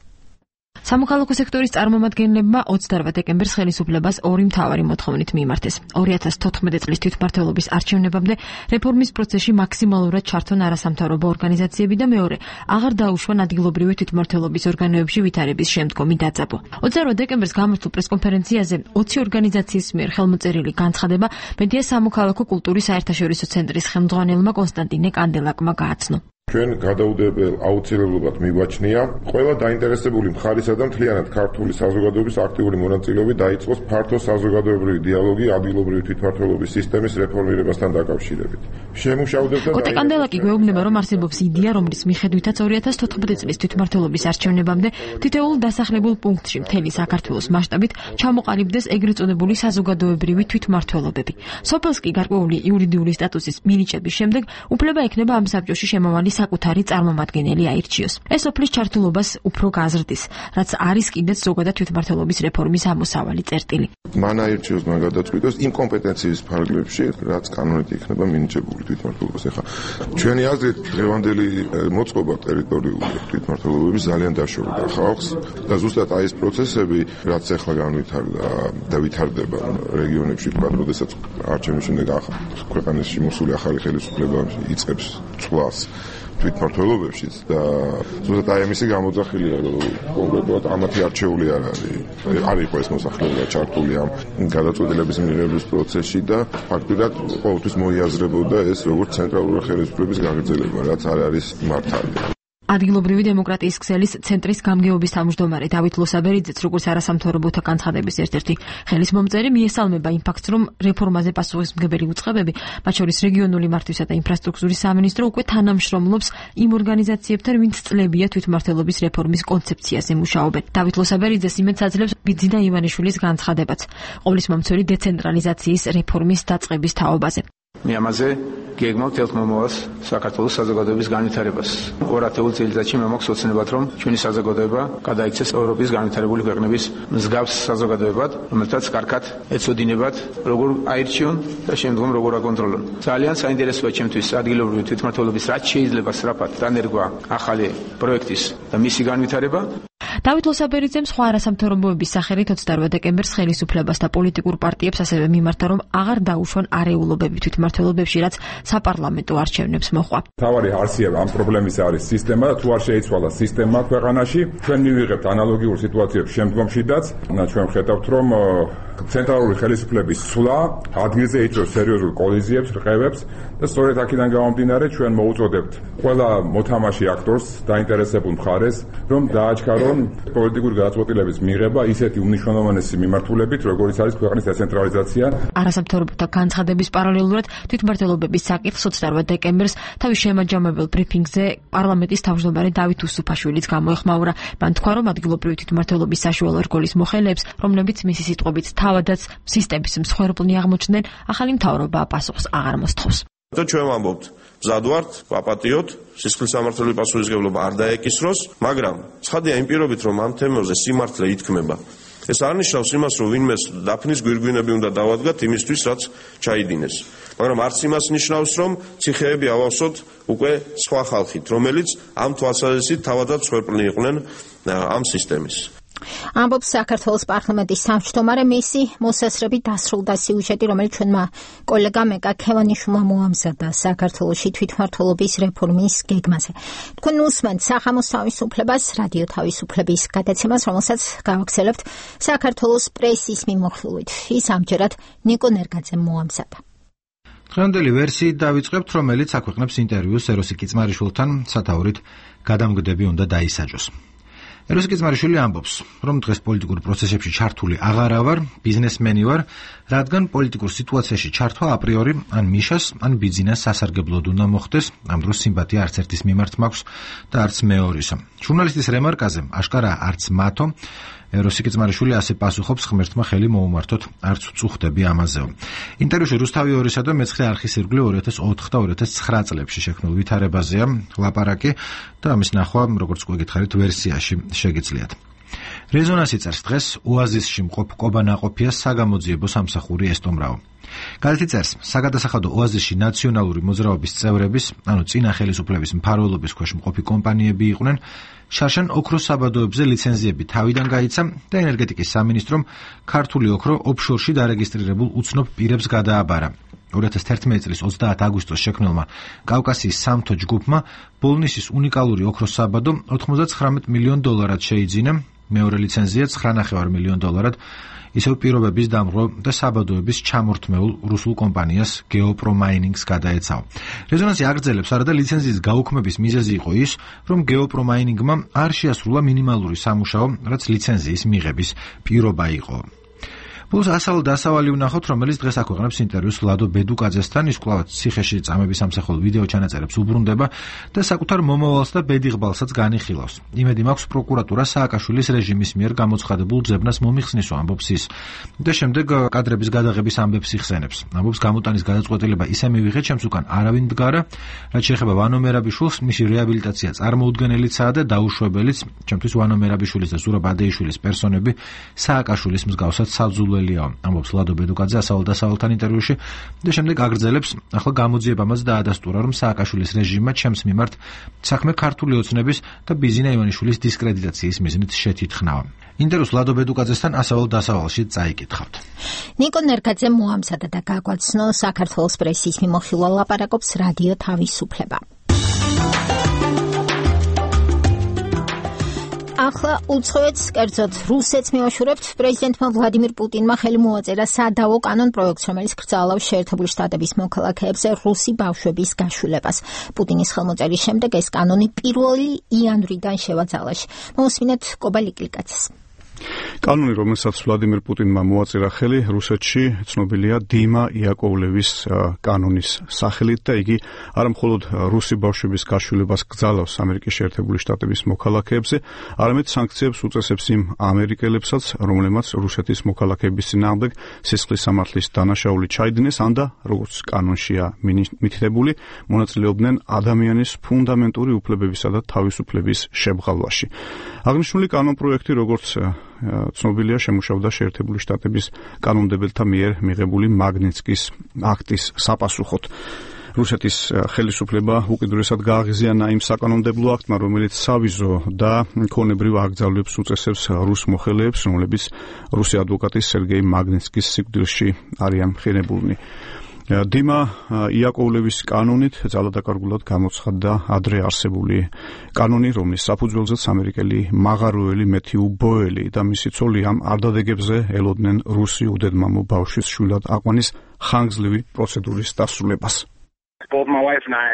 სამოქალაქო სექტორის წარმომადგენლებმა 28 დეკემბერს ხელისუფლებას ორი მთავარი მოთხოვნით მიიმართეს. 2014 წლის თვითმმართველობის არჩევნებამდე რეფორმის პროცესში მაქსიმალურად ჩართონ არასამთავრობო ორგანიზაციები და მეორე, აღარ დაუშვან ადგილობრივი თვითმმართველობის ორგანოებში ვითარების შემდგომი დაძაბვა. 28 დეკემბერს გამართულ პრესკონფერენციაზე 20 ორგანიზაციის მიერ ხელმოწერილი განცხადება მედია სამოქალაქო კულტურის საერთაშორისო ცენტრის ხელმძღვანელმა კონსტანტინე კანდელაკმა გააცნო. ჩვენ გადაუდებელ აუცილებლობად მიგვაჩნია ყველა დაინტერესებული მხარისა და მთლიანად ქართული საზოგადოების აქტიური მონაწილეობით დაიწყოს ფართო საზოგადოებრივი დიალოგი ადგილობრივი თვითმმართველობის სისტემის რეფორმირებასთან დაკავშირებით. შემუშავდება და კანდელაკი გვეუბნება, რომ არსებობს იდეა, რომლის მიხედვითაც 2014 წლის თვითმმართველობის არჩევნებამდე თითოეულ დასახლებულ პუნქტში მთელი საქართველოს მასშტაბით ჩამოყალიბდეს ეგრეთ წოდებული საზოგადოებრივი თვითმმართველობები. სოფელს კი გარკვეული იურიდიული სტატუსის მინიჭების შემდეგ უფლება ექნება ამ საბჭოში შემავალი საკუთარი წარმომადგენელი აირჩიოს. ეს სოფლის ჩართულობას უფრო გაზრდის, რაც არის კიდეც ზოგადად თვითმმართველობის რეფორმის ამოსავალი წერტილი. მან აირჩიოს, მან გადაწყვიტოს იმ კომპეტენციის ფარგლებში, რაც კანონით იქნება მინიჭებული თვითმმართველობას. ეხლა ჩვენი აზრით დღევანდელი მოწყობა ტერიტორიული თვითმმართველობების ძალიან დაშორდა ხალხს და ზუსტად აი ეს პროცესები, რაც ეხლა განვითარდა და ვითარდება რეგიონებში, როდესაც არჩევნების შემდეგ ქვეყანაში მოსული ახალი ხელისუფლება იწყებს ცვლას თვითმმართველობებშიც და ზუსტად აი ამისი გამოძახილია, რომ კონკრეტულად ამათი არჩეული არ იყო ეს მოსახლეობა ჩართული ამ გადაწყვეტილების მიღების პროცესში და ფაქტობრივად ყოველთვის მოიაზრებოდა ეს როგორც ცენტრალური ხელისუფლების გაგრძელება, რაც არ არის მართალი. ადგილობრივი დემოკრატიის ქსელის ცენტრის გამგეობის თავმჯდომარე დავით ლოსაბერიძეც, როგორც არასამთავრობოთა განცხადების ერთ-ერთი ხელისმომწერი, მიესალმება იმ ფაქტს, რომ რეფორმაზე პასუხისმგებელი უწყებები, მათ შორის რეგიონული მართვისა და ინფრასტრუქტურის სამინისტრო, უკვე თანამშრომლობს იმ ორგანიზაციებთან, ვინც წლებია თვითმმართველობის რეფორმის კონცეფციაზე მუშაობენ. დავით ლოსაბერიძეს იმედს აძლევს ბიძინა ივანიშვილის განცხადებაც ყოვლისმომცველი დეცენტრალიზაციის რეფორმის დაწყების თაობაზე. მე ამაზე გეგმავთ ელთმომავალს საქართველოს საზოგადოების განვითარებას. 2000 წელიწადში მე მაქვს ოცნებად, რომ ჩვენი საზოგადოება გადაიქცეს ევროპის განვითარებული ქვეყნების მსგავს საზოგადოებად, რომელთაც კარგად ეცოდინებათ, როგორ აირჩიონ და შემდგომ როგორ აკონტროლონ. ძალიან საინტერესოა ჩემთვის ადგილობრივი თვითმმართველობის რაც შეიძლება სწრაფად დანერგვა ახალი პროექტის და მისი განვითარება. დავით ლოსაბერიძემ სხვა არასამთავრობოების სახელით 28 დეკემბერს ხელისუფლებას და პოლიტიკურ პარტიებს ასევე მიმართა, რომ აღარ დაუშვან არეულობები თვითმმართველობებში, რაც საპარლამენტო არჩევნებს მოჰყვა. თავარი არსია ამ პრობლემის არის სისტემა და თუ არ შეიცვალა სისტემა ქვეყანაში, ჩვენ მივიღებთ ანალოგიურ სიტუაციებს შემდგომშიდაც. ჩვენ ხედავთ, რომ ცენტრალური ხელისუფლების სვლა ადგილზე იწვევს სერიოზულ კოლიზიებს, რყევებს და სწორედ აქედან გამომდინარე ჩვენ მოუწოდებთ ყველა მოთამაშე აქტორს დაინტერესებულ მხარეს, რომ დააჩქარონ პოლიტიკური გადაწყვეტილების მიღება ისეთი უმნიშვნელოვანესი მიმართულებით, როგორიც არის ქვეყნის დეცენტრალიზაცია. არასამთავრობოთა განცხადების პარალელურად თვითმმართველობების საკითხს 28 დეკემბერს თავის შემაჯამებელ ბრიფინგზე პარლამენტის თავმჯდომარე დავით უსუფაშვილიც გამოეხმაურა. მან თქვა, რომ ადგილობრივი თვითმმართველობის საშუალო რგოლის მოხელეებს, რომლებიც მისი სიტყვებით თავადაც სისტემის მსხვერპლნი აღმოჩნდნენ, ახალი მთავრობა პასუხს აღარ მოსთხოვს. ჩვენ ვამბობთ, მზად ვართ, ვაპატიოთ, სისხლის სამართლიანი პასუხისმგებლობა არ დაეკისროს, მაგრამ ცხადია იმ პირობით, რომ ამ თემებზე სიმართლე ითქმება. ეს არ ნიშნავს იმას, რომ ვინმეს დაფნის გვირგვინები უნდა დავადგათ იმისთვის, რაც ჩაიდინეს. მაგრამ არც იმას ნიშნავს, რომ ციხეები ავავსოთ უკვე სხვა ხალხით, რომელიც ამ თვალსაზრისით თავადაც მსხვერპლნი იყვნენ ამ სისტემის. ამბობს საქართველოს პარლამენტის თავმჯდომარე, მისი მოსასწრებით დასრულდა სიუჟეტი, რომელიც ჩვენმა კოლეგამ ეკა ქევანიშვილმა მოამზადა საქართველოში თვითმმართველობის რეფორმის გეგმაზე. თქვენ უსმენთ სახამოს თავისუფლებას, რადიო თავისუფლების გადაცემას, რომელსაც გავაგრძელებთ საქართველოს პრესის მიმოხილვით. ის ამჯერად ნიკო ნერგაძემ მოამზადა. დღევანდელი ვერსიით დავიწყებთ, რომელიც აქვეყნებს ინტერვიუს ეროსი კიწმარიშვილთან სათაურით გადამგდები უნდა დაისაჯოს. ეროსი კიწმარიშვილი ამბობს, რომ დღეს პოლიტიკურ პროცესებში ჩართული აღარა ვარ, ბიზნესმენი ვარ, რადგან პოლიტიკურ სიტუაციაში ჩართვა აპრიორი ან მიშას, ან ბიძინას სასარგებლოდ უნდა მოხდეს, ამ დროს სიმპათია არც ერთის მიმართ მაქვს და არც მეორისა. ჟურნალისტის რემარკაზე, აშკარა არც მათო, ეროსი კიწმარიშვილი ასე პასუხობს, ღმერთმა ხელი მოუმართოთ, არც უწუხდები ამაზეო. ინტერვიუში რუსთავი 2-სა და მეცხრე არხის ირგვლივ 2004 და 2009 წლებში შექმნილ ვითარებაზეა ლაპარაკი და ამის ნახვა, როგორც გვეკითხარით, ვერსიაში შეგიძლიათ. რეზონანსი წერს დღეს ოაზისში მყოფ კობა-ნაყოფია საგამოძიებო სამსახური ესტომრაო. გაზეთი წერს, საგადასახადო ოაზისში ნაციონალური მოძრაობის წევრების, ანუ წინა ხელისუფლების მფარველობის ქვეშ მყოფი კომპანიები იყვნენ, შარშან ოქროს საბადოებზე ლიცენზიები თავიდან გაიცა და ენერგეტიკის სამინისტრომ ქართული ოქრო ოფშორში დარეგისტრირებულ უცნობ პირებს გადააბარა. 2011 წლის 30 აგვისტოს შექმნილმა კავკასიის სამთო ჯგუფმა ბოლნისის უნიკალური ოქროს საბადო $99 მილიონ შეიძინა, მეორე ლიცენზია $9.5 მილიონ, ისევ პირობების დამღრო და საბადოების ჩამორთმეულ რუსულ კომპანიას გეოპრომაინინგს გადაეცაო. რეზონანსი აგრძელებს, არადა ლიცენზიის გაუქმების მიზეზი იყო ის, რომ გეოპრომაინინგმა არ შეასრულა მინიმალური სამუშაო, რაც ლიცენზიის მიღების პირობა იყო. Plus ასაულ დასავალი ვნახოთ, რომელიც დღეს აქვეყნებს ინტერვიუს ლადო ბედუკაძესთან, ის კვლავ ციხეში წამების სამსახურ ვიდეო ჩანაწერებს უბრუნდება და საკუთარ მომავალს და ბედიღბალსაც განიხილავს. იმედი მაქვს პროკურატურა სააკაშვილის რეჟიმის მიერ გამოცხადებულ ძებნას მომიხსნისო, ამბობს ის. და შემდეგ კადრების გადაღების ამბებს იხსენებს. ამბობს გამოტანის გადაწყვეტილება ისე მივიღეთ, ჩემს უკან არავინ მდგარა, რაც შეეხება ვანო მერაბიშვილს, მისი რეაბილიტაცია წარმოუდგენელიცაა და დაუშვებელიც, ჩემთვის ვანო მერაბიშვილის და ზურაბ ადეიშვილის პერსონები სააკაშვილის მსგავსად საძულველი ამბობს ლადო ბედუკაძე ასაულ დასავლთან ინტერვიუში და შემდეგ აგრძელებს, ახლა გამოძიებამაც დაადასტურა, რომ სააკაშვილის რეჟიმმა ჩემს მიმართ საქმე ქართული ოცნების და ბიზინა ივანიშვილის დისკრედიტაციის მიზნით შეთითხნავა. ინტერვიუს ლადო ბედუკაძესთან ასაულ დასავალში წაიკითხავთ. ნიკო ნერგაძე მოამზადა და გაგვაცნო საქართველოს პრესის მიმოხილვა ლაპარაკობს რადიო თავისუფლება. ახლა უცხოეთს, კერძოდ რუსეთს მივაშურებთ. პრეზიდენტმა ვლადიმირ პუტინმა ხელი მოაწერა სადავო კანონ პროექტს, რომელიც კრძალავს შეერთებული შტატების მოქალაქეებზე რუსი ბავშვების გაშულებას. პუტინის ხელმოწერის შემდეგ ეს კანონი 1 იანვრიდან შევაძალაში. მოусმინეთ კობა ლიკლიკაძეს. კანონი, რომელსაც ვლადიმირ პუტინმა მოაწერა ხელი, რუსეთში ცნობილია დიმა იაკოვლევის კანონის სახელით და იგი არა მხოლოდ რუსი ბავშვების გაშულებას კრძალავს ამერიკის შეერთებული შტატების მოქალაქეებზე, არამედ სანქციებს უწესებს იმ ამერიკელებსაც, რომლებმაც რუსეთის მოქალაქეების წინააღმდეგ სისხლის სამართლის დანაშაული ჩაიდინეს, ან და როგორც კანონშია მითითებული, მონაწილეობდნენ ადამიანის ფუნდამენტური უფლებებისა და თავისუფლების შემღალვაში. აღნიშნული კანონპროექტი, როგორც ცნობილია, შემუშავდა შეერთებული შტატების კანონმდებელთა მიერ მიღებული მაგნიტსკის აქტის საპასუხოდ. რუსეთის ხელისუფლება უკიდურესად გააღიზიანა იმ საკანონმდებლო აქტმა, რომელიც სავიზო და მქონებრივ აკრძალვებს უწესებს რუს მოხელეებს, რომლებიც რუსი ადვოკატის სერგეი მაგნიტსკის სიკვდილში არიან მხინებულნი. დიმა იაკოვლევის კანონით ძალადაკარგულად გამოცხადდა ადრე არსებული კანონი, რომლის საფუძველზეც ამერიკელი მაღაროელი მეთიუ ბოელი და მისი ცოლი ამ არდადეგებზე ელოდნენ რუსი უდედმამო ბავშვის შვილად აყვანის ხანგრძლივი პროცედურის დასრულებას. Both my wife and I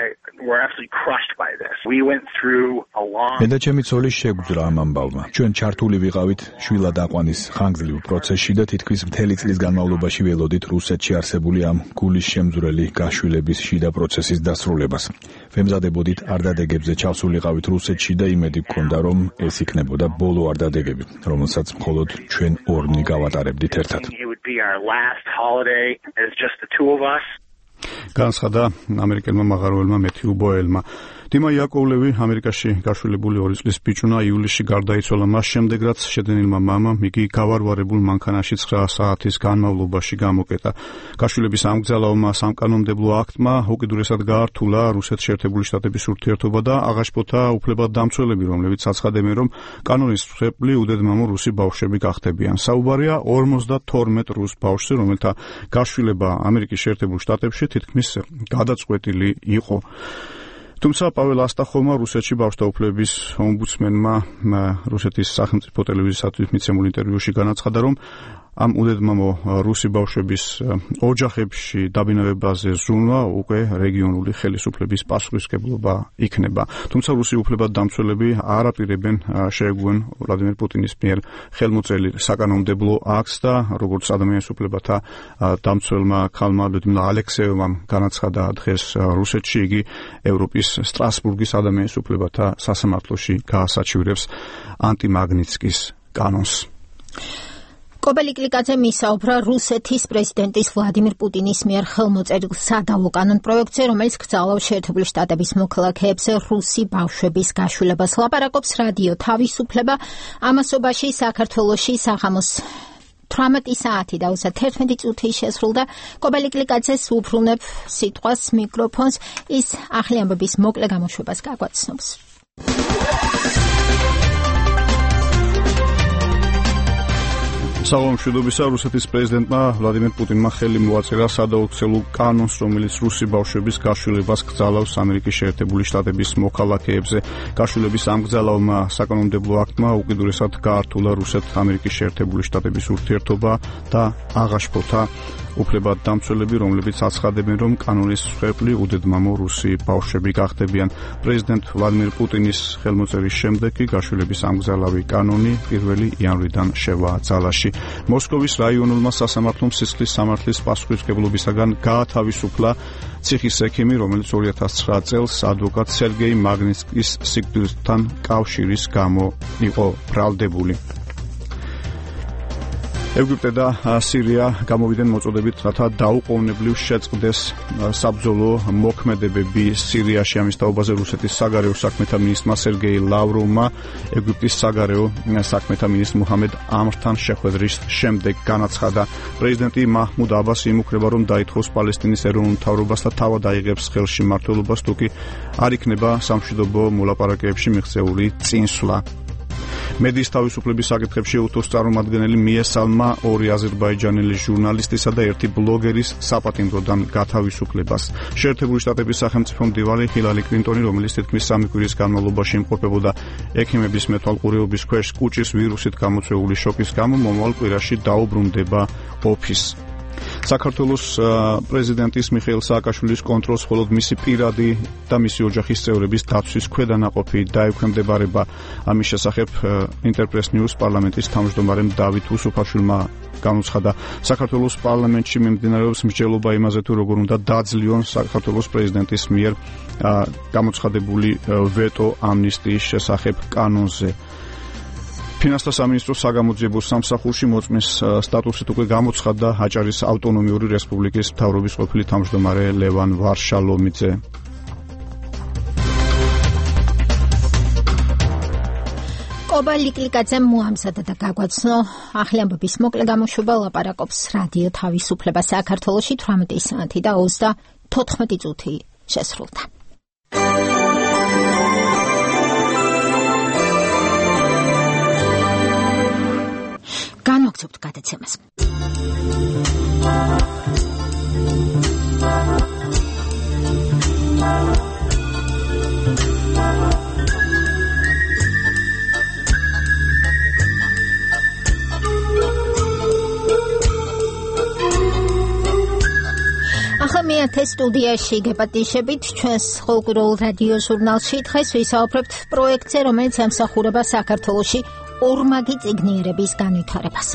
were absolutely crushed by this. We went through a long მე და ჩემი ცოლი შეგვძრა ამ ამბავმა. ჩვენ ჩართული ვიყავით შვილად აყვანის ხანგრძლივ პროცესში და თითქმის მთელი წლის განმავლობაში ველოდით რუსეთში არსებული ამ გულის შემძვრელი გაშვილების შიდა პროცესის დასრულებას. ვემზადებოდით არდადეგებზე ჩავსულიყავით რუსეთში და იმედი გქონდა, რომ ეს იქნებოდა ბოლო არდადეგები, რომელსაც მხოლოდ ჩვენ ორნი გავატარებდით ერთად. It would be our last holiday as just the two of us. განცხადა ამერიკელმა მაღაროელმა მეთიუ ბოელმა. დიმა იაკოვლევი ამერიკაში გაშვილებული 2 წლის ბიჭუნა ივლისში გარდაიცვალა მას შემდეგ, რაც შეძენილმა მამამ იგი გავარვარებულ მანქანაში 9 საათის განმავლობაში გამოკეტა. გაშვილების ამგზავრებმა სამკანონმდებლო აქტმა უკიდურესად გაართულა რუსეთის შეერთებული შტატების ურთიერთობა და აღაშფოთა უფლებადამცველები, რომლებიც აცხადებენ, რომ კანონის მსხვერპლი უდედმამო რუსი ბავშვები გახდებიან. საუბარია 52 რუს ბავშვზე, რომელთა გაშვილება ამერიკის შეერთებულ შტატებში თითქმის გადაწყვეტილი იყო. თუმცა პაվել ასტახოვმა რუსეთში ბავშვთა უფლებების ომბუდსმენმა რუსეთის სახელმწიფო ტელევიზიისათვის მიცემულ ინტერვიუში განაცხადა, რომ ამ უდედმამო რუსი ბავშვების ოჯახებში დაბინავებაზე ზრუნვა უკვე რეგიონული ხელისუფლების პასუხისმგებლობა იქნება. თუმცა რუსი უფლებადამცველები არ აპირებენ შეეგუონ ვლადიმერ პუტინის მიერ ხელმოწერილ საკანონმდებლო აქტს და როგორც ადამიანის უფლებათა დამცველმა ქალმა ლუდმილა ალექსეევამ განაცხადა დღეს რუსეთში, იგი ევროპის სტრასბურგის ადამიანის უფლებათა სასამართლოში გაასაჩივრებს ანტიმაგნიცკის კანონს. კობალი კლიკაძე მისაუბრა რუსეთის პრეზიდენტის ვლადიმირ პუტინის მიერ ხელმოწერილ სადავო კანონპროექტზე, რომელიც კრძალავს შეერთებული შტატების მოქალაქეებზე რუსი ბავშვების გაშვილებას. ლაპარაკობს რადიო თავისუფლება ამასობაში საქართველოში საღამოს 18 საათი და 31 წუთი შესრულდა. კობალი კლიკაძეს უბრუნებ სიტყვას მიკროფონს, ის ახალი ამბების მოკლე გამოშვებას გაგვაცნობს. საღამომშვიდობისა, რუსეთის პრეზიდენტმა ვლადიმერ პუტინმა ხელი მოაწერა სადაოქცელულ კანონს, რომელიც რუსი ბავშვების გაშვილებას კრძალავს ამერიკის შეერთებული შტატების მოქალაქეებზე. გაშვილების ამგზავრებმა საკანონმდებლო აქტმა უკიდურესად გაართულა რუსეთ-ამერიკის შეერთებული შტატების ურთიერთობა და აღაშფოთა უფლებადამცველები, რომლებიც აცხადებენ, რომ კანონის მსხვერპლი უდედმამო რუსი ბავშვები გახდებიან. პრეზიდენტ ვლადიმერ პუტინის ხელმოწერის შემდეგ გაშვილების ამგზავრელი კანონი 1 იანვრიდან შევა ძალაში. მოსკოვის რაიონულმა სასამართლომ სისხლის სამართლის პასუხისმგებლობისაგან გაათავისუფლა ციხის ექიმი, რომელიც 2009 წელს ადვოკატ სერგეი მაგნიცკის სიკვდილთან კავშირის გამო იყო ბრალდებული. ეგვიპტე და სირია გამოვიდნენ მოწოდებით, რათა დაუყოვნებლივ შეწყდეს საბრძოლო მოქმედებები სირიაში. ამის თაობაზე რუსეთის საგარეო საქმეთა მინისტრმა სერგეი ლავროვმა ეგვიპტის საგარეო საქმეთა მინისტრ მუჰამედ ამრთან შეხვედრის შემდეგ განაცხადა, პრეზიდენტი მაჰმუდ აბასი იმუქრება, რომ დაითხოვს პალესტინის ეროვნულ მთავრობას და თავად აიღებს ხელში მმართველობას, თუ კი არ იქნება სამშვიდობო მოლაპარაკებებში მიღწეული წინსვლა. მედიის თავისუფლების საკითხებში უთოს წარმომადგენელი მიესალმა 2 აზერბაიჯანელი ჟურნალისტისა და 1 ბლოგერის საპატიმროდან გათავისუფლებას. შეერთებული შტატების სახელმწიფო მდივანი ჰილარი კლინტონი, რომელიც თითქმის 3 კვირის განმავლობაში იმყოფებოდა ექიმების მეთვალყურეობის ქვეშ კუჭის ვირუსით გამოწვეული შოკის გამო, მომავალ კვირაში დაუბრუნდება ოფისს. საქართველოს პრეზიდენტის მიხეილ სააკაშვილის კონტროლს მხოლოდ მისი პირადი და მისი ოჯახის წევრების დაცვის ქვედანაყოფი დაექვემდებარება. ამის შესახებ ინტერპრეს ნიუს პარლამენტის თავმჯდომარემ დავით უსუფაშვილმა განუცხადა, საქართველოს პარლამენტში მიმდინარეობს მსჯელობა იმაზე, თუ როგორ უნდა დაძლიონ საქართველოს პრეზიდენტის მიერ გამოცხადებული ვეტო ამნისტიის შესახებ კანონზე. ფინანსთა სამინისტროს საგამოძიებო სამსახურში მოწმის სტატუსით უკვე გამოცხადდა აჭარის ავტონომიური რესპუბლიკის მთავრობის ყოფილი თავმჯდომარე ლევან ვარშალომიძე. კობალი კლიკაძემ მოამზადა და გაგვაცნო ახალი ამბების მოკლე გამოშვება. ლაპარაკობს რადიო თავისუფლება საქართველოში 18 საათი და 34 წუთი შესრულდა. განვაგრძობთ გადაცემას. ახლა მე ნიათე სტუდიაში გეპატიშებით ჩვენს ყოველკვირეულ რადიო ჟურნალში დღეს ვისაუბრებთ პროექტზე, რომელიც ემსახურება საქართველოში ორმაგი წიგნიერების განვითარებას.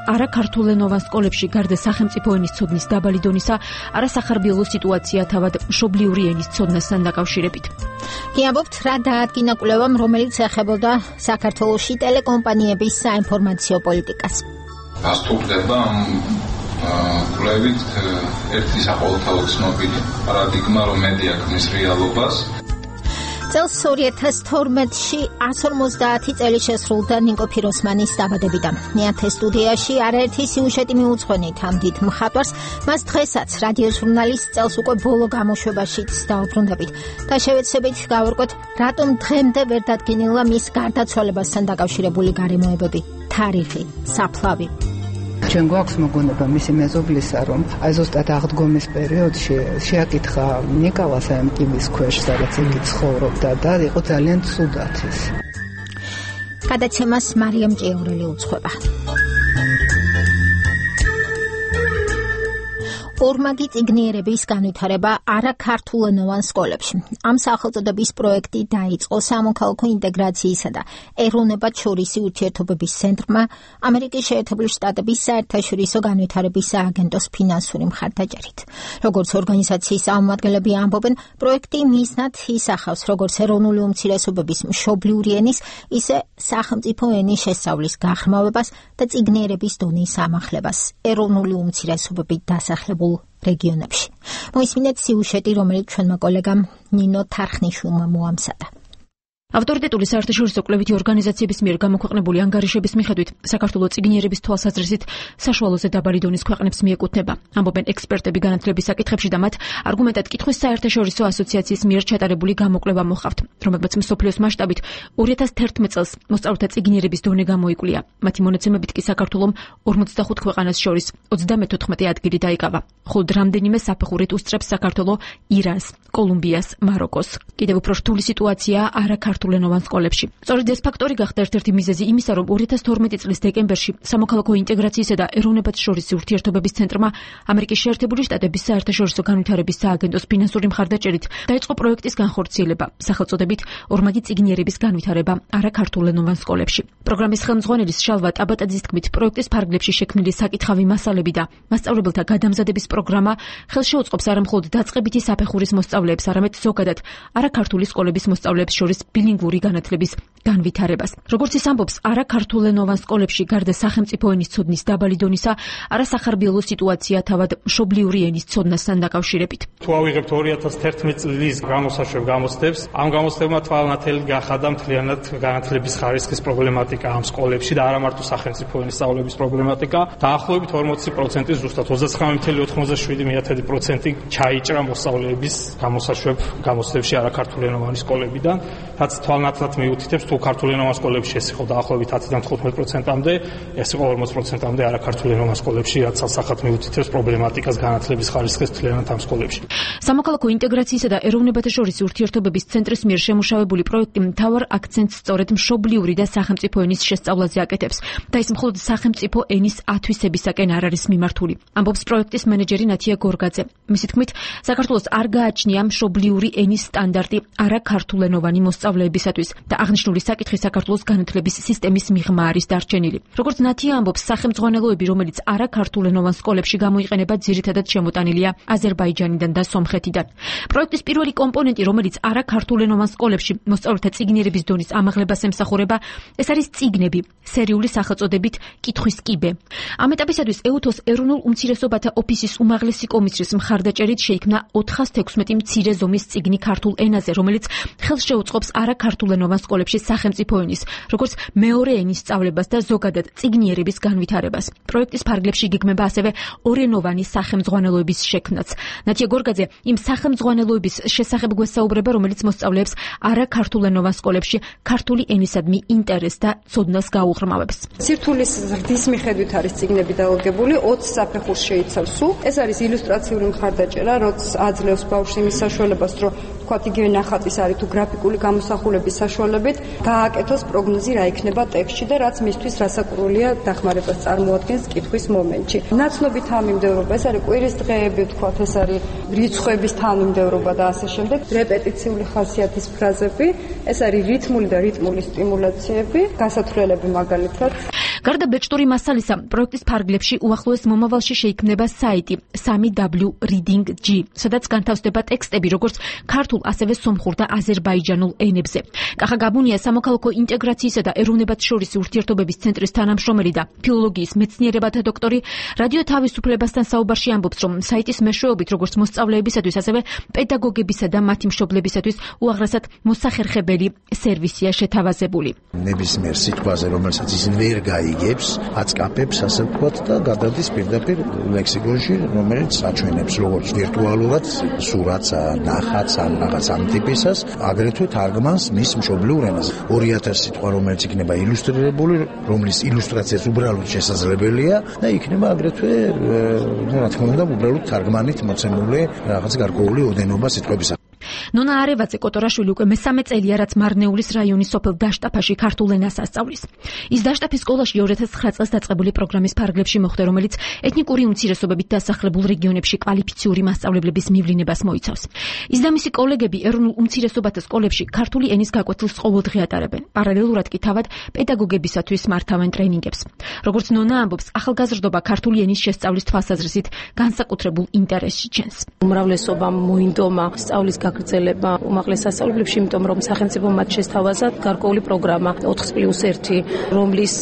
არაქართულენოვან სკოლებში გარდა სახელმწიფო ენის ცოდნის დაბალი დონისა, არასახარბიელო სიტუაცია თავად მშობლიური ენის ცოდნასთან დაკავშირებით. გიამბობთ, რა დაადგინა კვლევამ, რომელიც ეხებოდა საქართველოში ტელეკომპანიების საინფორმაციო პოლიტიკას. გასტურდება კვლევით ერთი საყოველთაო ცნობილი პარადიგმა, რომ მედია ქმნის რეალობას. წელს 2012-ში 150 წელი შესრულდა ნიკო ფიროსმანის დაბადებიდან. ნიათე სტუდიაში არაერთი სიუჟეტი მიუძღვენით ამ დიდ მხატვარს, მას დღესაც რადიო ჟურნალის წელს უკვე ბოლო გამოშვებაშიც დაუბრუნდებით და შევეცდებით გავარკვევთ, რატომ დღემდე ვერ დადგინილა მის გარდაცვალებასთან დაკავშირებული გარემოებები, თარიღი, საფლავი. ჩვენ გვაქვს მოგონება მისი მეზობლისა, რომ აი ზუსტად აღდგომის პერიოდში შეაკითხა ნიკოლას ამ კიბის ქვეშ, სადაც იგი ცხოვრობდა და იყო ძალიან ცუდად ის. გადაცემას მარიამ ჭიაურელი უძღვება. ორმაგი წიგნიერების განვითარება არაქართულენოვან სკოლებში. ამ სახელწოდების პროექტი დაიწყო სამოქალაქო ინტეგრაციისა და ეროვნებათშორისი ურთიერთობების ცენტრმა ამერიკის შეერთებული შტატების საერთაშორისო განვითარების სააგენტოს ფინანსური მხარდაჭერით. როგორც ორგანიზაციის წარმომადგენლები ამბობენ, პროექტი მიზნად ისახავს როგორც ეროვნული უმცირესობების მშობლიური ენის, ისე სახელმწიფო ენის შესწავლის გაღრმავებას და წიგნიერების დონის ამახლებას ეროვნული უმცირესობებით დასახლებულ რეგიონებში. მოისმინეთ სიუჟეტი, რომელიც ჩვენმა კოლეგამ ნინო თარხნიშვილმა მოამზადა. ავტორიტეტული საერთაშორისო კვლევითი ორგანიზაციების მიერ გამოქვეყნებული ანგარიშების მიხედვით, საქართველოს წიგნიერების თვალსაზრისით საშუალოზე დაბალი დონის ქვეყნებს მიეკუთვნება. ამბობენ ექსპერტები განათლების საკითხებში და მათ არგუმენტად კითხვის საერთაშორისო ასოციაციის მიერ ჩატარებული გამოკვლევა მოჰყავთ, რომელმაც მსოფლიოს მასშტაბით 2011 წელს მოსწავლეთა წიგნიერების დონე გამოიკვლია. მათი მონაცემებით კი საქართველოს 45 ქვეყანას შორის 34 ადგილი დაიკავა. ხოლო რამდენიმე საფეხურით უსწრებს საქართველოს ირანს, კოლუმბიას, მაროკოს. კიდევ უფრო რთული სიტუაცია არაქართულენოვან სკოლებში. სწორედ ეს ფაქტორი გახდა ერთ-ერთი მიზეზი იმისა, რომ 2012 წლის დეკემბერში სამოქალაქო ინტეგრაციისა და ეროვნებათშორისი ურთიერთობების ცენტრმა ამერიკის შეერთებული შტატების საერთაშორისო განვითარების სააგენტოს ფინანსური მხარდაჭერით დაიწყო პროექტის განხორციელება, სახელწოდებით ორმაგი წიგნიერების განვითარება არაქართულენოვან სკოლებში. პროგრამის ხელმძღვანელის შალვა ტაბატაძის თქმით, პროექტის ფარგლებში შექმნილი საკითხავი მასალები და მასწავლებელთა გადამზადების პროგრამა ხელშეუწყობს არა მხოლოდ დაწყებითი საფეხურის მოსწავლეებს, არამედ ზოგადად არაქართული სკოლების მოსწავლეებს შორის ბილინგვური განათლების განვითარებას. როგორც ის ამბობს, არაქართულენოვან სკოლებში გარდა სახელმწიფო ენის ცოდნის დაბალი დონისა, არასახარბიელო სიტუაცია თავად მშობლიური ენის ცოდნასთან დაკავშირებით. თუ ავიღებთ 2011 წლის გამოსაშვებ გამოცდებს, ამ გამოცდებმა თვალნათელი გახადა მთლიანად განათლების ხარისხის პრობლემატიკა ამ სკოლებში და არა მარტო სახელმწიფო ენის სწავლების პრობლემატიკა. დაახლოებით 40% ზუსტად 39.97% ჩაიჭრა მოსწავლეების გამოსაშვებ გამოცდებში არაქართულენოვანი სკოლებიდან, რაც თვალნათლად მიუთითებს, თუ ქართულენოვან სკოლებში ეს იყო დაახლოებით 10-დან 15%-მდე, ეს იყო 40%-მდე არაქართულენოვან სკოლებში, რაც სასახად მიუთითებს პრობლემატიკას განათლების ხარისხის მთლიანად ამ სკოლებში. სამოქალაქო ინტეგრაციისა და ეროვნებათშორისი ურთიერთობების ცენტრის მიერ შემუშავებული პროექტი მთავარ აქცენტს სწორედ მშობლიური და სახელმწიფო ენის შესწავლაზე აკეთებს და ის მხოლოდ სახელმწიფო ენის ათვისებისაკენ არ არის მიმართული. ამბობს პროექტის მენეჯერი ნათია გორგაძე. მისი თქმით, საქართველოს არ გააჩნია მშობლიური ენის სტანდარტი არაქართულენოვანი მოსწავლეებისათვის და აღნიშნული საკითხი საქართველოს განათლების სისტემის მიღმა არის დარჩენილი. როგორც ნათია ამბობს, სახელმძღვანელოები, რომელიც არაქართულენოვან სკოლებში გამოიყენება, ძირითადად შემოტანილია აზერბაიჯანიდან და სომხეთიდან. პროექტის პირველი კომპონენტი, რომელიც არაქართულენოვან სკოლებში მოსწავლეთა წიგნიერების დონის ამაღლებას ემსახურება, ეს არის წიგნები, სერიული სახელწოდებით კითხვის კიბე. ამ ეტაპისათვის ეუთოს ეროვნულ უმცირესობათა ოფისის უმაღლესი კომისრის მხარდაჭერით შეიქმნა 416 მცირე ზომის წიგნი ქართულ ენაზე, რომელიც ხელს შეუწყობს არაქართულენოვან სკოლებში სახელმწიფო ენის, როგორც მეორე ენის სწავლებას და ზოგადად წიგნიერების განვითარებას. პროექტის ფარგლებში გეგმება ასევე ორენოვანი სახელმძღვანელოების შექმნაც. ნათია გორგაძე იმ სახელმძღვანელოების შესახებ გვესაუბრება, რომელიც მოსწავლეებს არაქართულენოვან სკოლებში ქართული ენისადმი ინტერესს და ცოდნას გაუღრმავებს. სირთულის ზრდის მიხედვით არის წიგნები დაალგებული, 20 საფეხურს შეიცავს სულ. ეს არის ილუსტრაციული მხარდაჭერა, რაც აძლევს ბავშვს იმის საშუალებას, რომ თქვათ იგივე ნახატის არის თუ გრაფიკული გამოსახულების საშუალებით გააკეთოს პროგნოზი რა იქნება ტექსტში და რაც მისთვის რასაკურველია დახმარებას წარმოადგენს კითხვის მომენტში. ნაცნობი თანმიმდევრობა, ეს არის კვირის დღეები, თქვათ ეს არის რიცხვების თანმიმდევრობა და ასე შემდეგ, რეპეტიციული ხასიათის ფრაზები, ეს არის რითმული და რიტმული სტიმულაციები, გასათვლელები მაგალითად. გარდა ბეჭდური მასალისა, პროექტის ფარგლებში უახლოეს მომავალში შეიქმნება საიტი 3W Reading G, სადაც განთავსდება ტექსტები როგორც ქართულ, ასევე სომხურ და აზერბაიჯანულ ენებზე. კახა გაბუნია სამოქალაქო ინტეგრაციისა და ეროვნებათშორისი ურთიერთობების ცენტრის თანამშრომელი და ფილოლოგიის მეცნიერებათა დოქტორი რადიო თავისუფლებასთან საუბარში ამბობს, რომ საიტის მეშვეობით როგორც მოსწავლეებისათვის, ასევე პედაგოგებისა და მათი მშობლებისათვის უაღრესად მოსახერხებელი სერვისია შეთავაზებული. ნებისმიერ სიტყვაზე, რომელსაც ის ვერ გაიგებს, აწკაფებს, ასე ვთქვათ და გადადის პირდაპირ ლექსიკონში, რომელიც აჩვენებს როგორც ვირტუალურად სურათს, ნახატს, ან რაღაც ამ ტიპისას, აგრეთვე თარგმანს მის მშობლიურ ენაზე. 2000 სიტყვა, რომელიც იქნება ილუსტრირებული, რომლის ილუსტრაციაც უბრალოდ შესაძლებელია და იქნება აგრეთვე, რა თქმა უნდა, უბრალოდ თარგმანით მოცემული რაღაც გარკვეული ოდენობა სიტყვებისა. ნონა არევაძე კოტორაშვილი უკვე მესამე წელია, რაც მარნეულის რაიონის სოფელ დაშტაფაში ქართულ ენას ასწავლის. ის დაშტაფის სკოლაში 2009 წელს დაწყებული პროგრამის ფარგლებში მოხვდა, რომელიც ეთნიკური უმცირესობებით დასახლებულ რეგიონებში კვალიფიციური მასწავლებლების მივლინებას მოიცავს. ის და მისი კოლეგები ეროვნულ უმცირესობათა სკოლებში ქართული ენის გაკვეთილს ყოველდღე ატარებენ. პარალელურად კი თავად პედაგოგებისათვის მართავენ ტრენინგებს. როგორც ნონა ამბობს, ახალგაზრდობა ქართული ენის შესწავლის თვალსაზრისით განსაკუთრებულ ინტერესში ჩენს. უმრავლესობამ მოინდომა სწავლის გაგრძელება უმაღლეს სასწავლებლებში, იმიტომ რომ სახელმწიფო მათ შესთავაზა გარკვეული პროგრამა 4+1, რომლის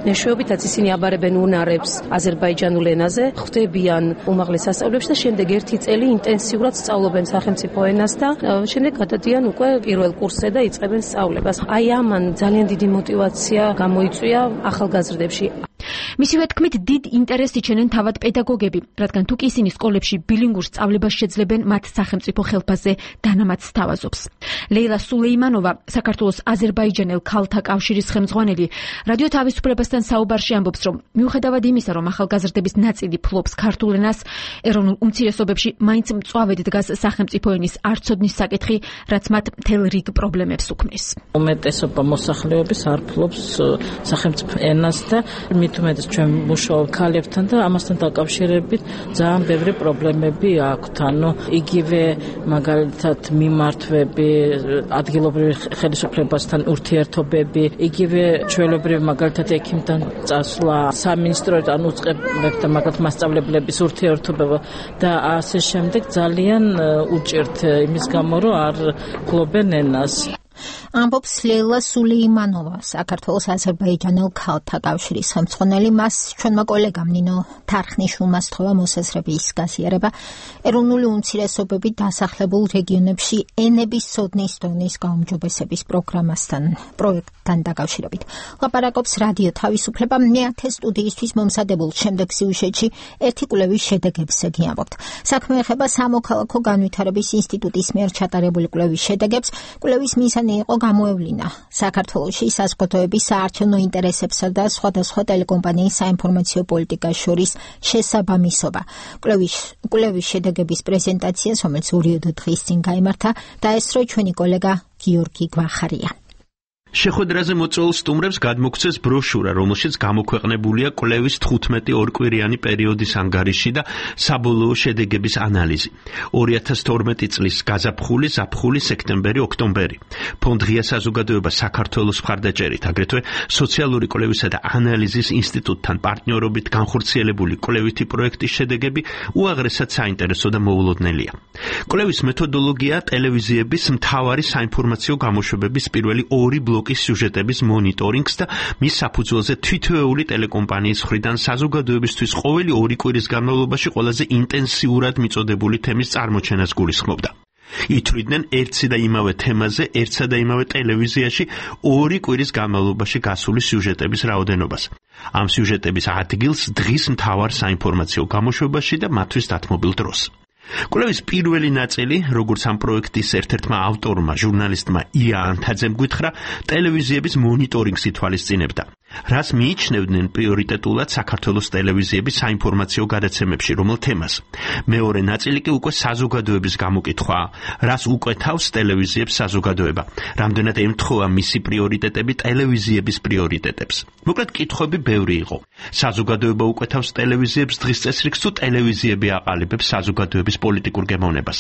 მეშვეობითაც ისინი აბარებენ უნარებს აზერბაიჯანულ ენაზე, ხვდებიან უმაღლეს სასწავლებლებში და შემდეგ 1 წელი ინტენსიურად სწავლობენ სახელმწიფო ენას და შემდეგ გადადიან უკვე პირველ კურსზე და იწყებენ სწავლებას. აი ამან ძალიან დიდი мотиваცია გამოიწვია ახალგაზრდებში. მისივე თქმით, დიდ ინტერესს იჩენენ თავად პედაგოგები, რადგან თუ კი ისინი სკოლებში ბილინგურ სწავლებას შეძლებენ, მათ სახელმწიფო ხელფასზე დანამატს თავაზობს. ლეილა სულეიმანოვა, საქართველოს აზერბაიჯანელ ქალთა კავშირის ხელმძღვანელი, რადიო თავისუფლებასთან საუბარში ამბობს, რომ მიუხედავად იმისა, რომ ახალგაზრდების ნაწილი ფლობს ქართულ ენას, ეროვნულ უმცირესობებში მაინც მწვავედ დგას სახელმწიფო ენის არცოდნის საკითხი, რაც მათ მთელ რიგ პრობლემებს უქმნის. უმეტესობა მოსახლეობის არ ფლობს სახელმწიფო ენას და მithumetes ჩვენ მუშაობთ ქალებთან და ამასთან დაკავშირებით ძალიან ბევრი პრობლემები აქვთ. ანუ იგივე მაგალითად მიმართვები, ადგილობრივ ხელისუფლებასთან ურთიერთობები, იგივე ჩვეულებრივ მაგალითად ექიმთან წასვლა, სამინისტროთან უწყებებთან მაგალითად მასწავლებლების ურთიერთობება და ასე შემდეგ ძალიან უჭირთ იმის გამო, რომ არ ფლობენ ენას. ამბობს ლეილა სულეიმანოვა, საქართველოს აზერბაიჯანელ ქალთა კავშირის ხელმძღვანელი. მას ჩვენმა კოლეგამ ნინო თარხნიშვილმა სთხოვა მოსაზრების გაზიარება ეროვნული უმცირესობებით დასახლებულ რეგიონებში ენების სოდნის დონის გაუმჯობესების პროექტთან დაკავშირებით. ლაპარაკობს რადიო თავისუფლება. მეათე სტუდიისთვის მომზადებულ შემდეგ სიუჟეტში ერთი კვლევის შედეგებზე გიამბობთ. საქმე ეხება სამოქალაქო განვითარების ინსტიტუტის მიერ ჩატარებული კვლევის შედეგებს. კვლევის მიზანი იყო გამოევლინა საქართველოში საზოგადოების საარჩევნო ინტერესებსა და სხვადასხვა ტელეკომპანიის საინფორმაციო პოლიტიკას შორის შესაბამისობა. კვლევის შედეგების პრეზენტაციას, რომელიც 2 დღის წინ გაიმართა, დაესწრო ჩვენი კოლეგა გიორგი გვახარია. შეხვედრაზე მოწვეულ სტუმრებს გადმოგვცეს ბროშურა, რომელშიც გამოქვეყნებულია კვლევის 15 ორკვირიანი პერიოდის ანგარიში და საბოლოო შედეგების ანალიზი. 2012 წლის გაზაფხული, ზაფხული, სექტემბერი, ოქტომბერი. ფონდ ღია საზოგადოება საქართველოს მხარდაჭერით, აგრეთვე სოციალური კვლევისა და ანალიზის ინსტიტუტთან პარტნიორობით განხორციელებული კვლევითი პროექტის შედეგები უაღრესად საინტერესო და მოულოდნელია. კვლევის მეთოდოლოგია ტელევიზიების მთავარი საინფორმაციო გამოშვებების პირველი 2 ბლოკის სიუჟეტების მონიტორინგს და მის საფუძველზე თითოეული ტელეკომპანიის მხრიდან საზოგადოებისთვის ყოველი 2 კვირის განმავლობაში ყველაზე ინტენსიურად მიწოდებული თემის წარმოჩენას გულისხმობდა. ითვლიდნენ ერთსა და იმავე თემაზე, ერთსა და იმავე ტელევიზიაში 2 კვირის განმავლობაში გასული სიუჟეტების რაოდენობას. ამ სიუჟეტების ადგილს დღის მთავარ საინფორმაციო გამოშვებაში და მათთვის დათმობილ დროს. კვლევის პირველი ნაწილი, როგორც ამ პროექტის ერთ-ერთმა ავტორმა, ჟურნალისტმა ია ანთაძემ გვითხრა, ტელევიზიების მონიტორინგს ითვალისწინებდა. რას მიიჩნევდნენ პრიორიტეტულად საქართველოს ტელევიზიების საინფორმაციო გადაცემებში, რომელ თემას. მეორე ნაწილი კი უკვე საზოგადოების გამოკითხვაა, რას უკვეთავს ტელევიზიებს საზოგადოება, რამდენად ემთხვევა მისი პრიორიტეტები ტელევიზიების პრიორიტეტებს. მოკლედ კითხვები ბევრი იყო. საზოგადოება უკვეთავს ტელევიზიებს დღის წესრიგს თუ ტელევიზიები აყალიბებს საზოგადოების პოლიტიკურ გემოვნებას.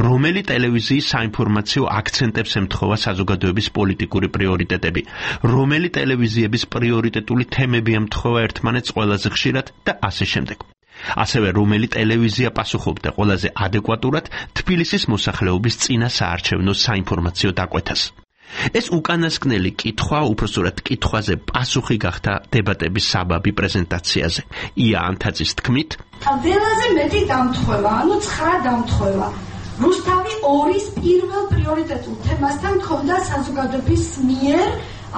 რომელი ტელევიზიის საინფორმაციო აქცენტებს ემთხვევა საზოგადოების პოლიტიკური პრიორიტეტები, რომელი ტელევიზიების პრიორიტეტული თემები ემთხვევა ერთმანეთს ყველაზე ხშირად და ასე შემდეგ. ასევე რომელი ტელევიზია პასუხობდა ყველაზე ადეკვატურად თბილისის მოსახლეობის წინა საარჩევნო საინფორმაციო დაკვეთას. ეს უკანასკნელი კითხვა, უпростоრად კითხვაზე პასუხი გახდა დებატების საბაბი პრეზენტაციაზე. ია ანთაძის თქმით, ყველაზე მეტი დამთხვევა, 9 დამთხვევა. რუსთავი 2-ის პირველ პრიორიტეტულ თემასთან ქონდა საზოგადოების მიერ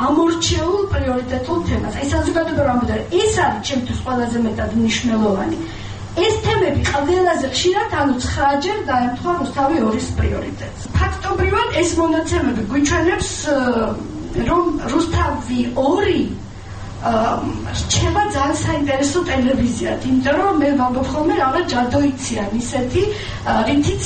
ამორჩეულ პრიორიტეტულ თემას. აი საზოგადოება რამოდენ ეს არის ჩემთვის ყველაზე მეტად მნიშვნელოვანი. ეს თემები ყველაზე ხშირად 9-ჯერ დაემთხვა რუსთავი 2-ის პრიორიტეტს. ფაქტობრივად ეს მონაცემები გვიჩვენებს, რომ რუსთავი 2 რჩება ძალიან საინტერესო ტელევიზიად, იმიტომ რომ მე ვამბობ ხოლმე რაღაც ჯადოიციან ისეთი, რითიც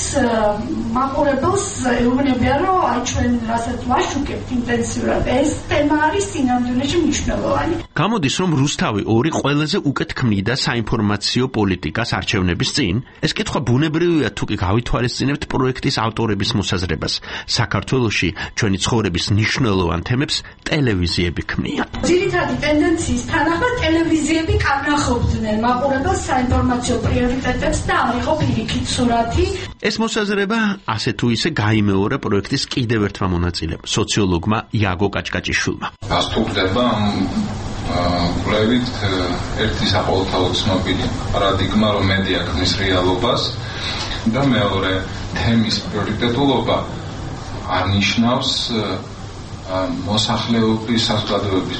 მაყურებელს ეუბნებიან, რომ აი ჩვენ რასაც ვაშუქებთ ინტენსიურად, ეს თემა არის სინამდვილეში მნიშვნელოვანი. გამოდის, რომ რუსთავი 2 ყველაზე უკეთ ქმნიდა საინფორმაციო პოლიტიკას არჩევნების წინ. ეს კითხვა ბუნებრივია, თუ კი გავითვალისწინებთ პროექტის ავტორების მოსაზრებას. საქართველოში ჩვენი ცხოვრების მნიშვნელოვან თემებს ტელევიზიები ქმნიან. ძირითადი ტენდენციის თანახმად ტელევიზიები კანახობდნენ მაყურებელს საინფორმაციო პრიორიტეტებს და არ იყო პირიქით სურათი. ეს მოსაზრება ასე თუ ისე გაიმეორა პროექტის კიდევ ერთმა მონაწილემ, სოციოლოგმა იაგო კაჭკაჭიშვილმა. რას თუ ხდება კვლევით ერთი საყოველთაო ცნობილი პარადიგმა, რომ მედია ქმნის რეალობას და მეორე თემის პრიორიტეტულობა არნიშნავს მოსახლეობის საზოგადოების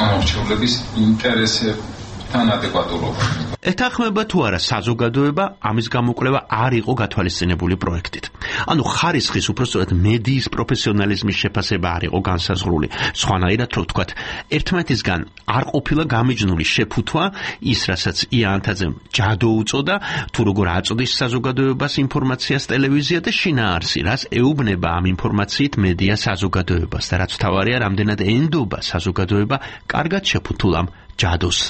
ამორჩევლების ინტერესებთან ადეკვატურობა. ეთანხმება თუ არა საზოგადოება ამის გამოკვლევა არ იყო გათვალისწინებული პროექტით. ანუ ხარისხის უпростоრად მედიის პროფესიონალიზმის შეფასება არ იყო განსაზღვრული. სხვანაირად რო ვთქვათ, ერთმანეთისგან არ ყოფილა გამიჯნული შეფუთვა ის, რასაც ია ანთაძემ ჯადო უწოდა, თუ როგორ აწოდის საზოგადოებას ინფორმაციას ტელევიზია და შინაარსი, რას ეუბნება ამ ინფორმაციით მედია საზოგადოებას და რაც თავარია, რამდენად ენდობა საზოგადოება კარგად შეფუთულ ამ ჯადოს.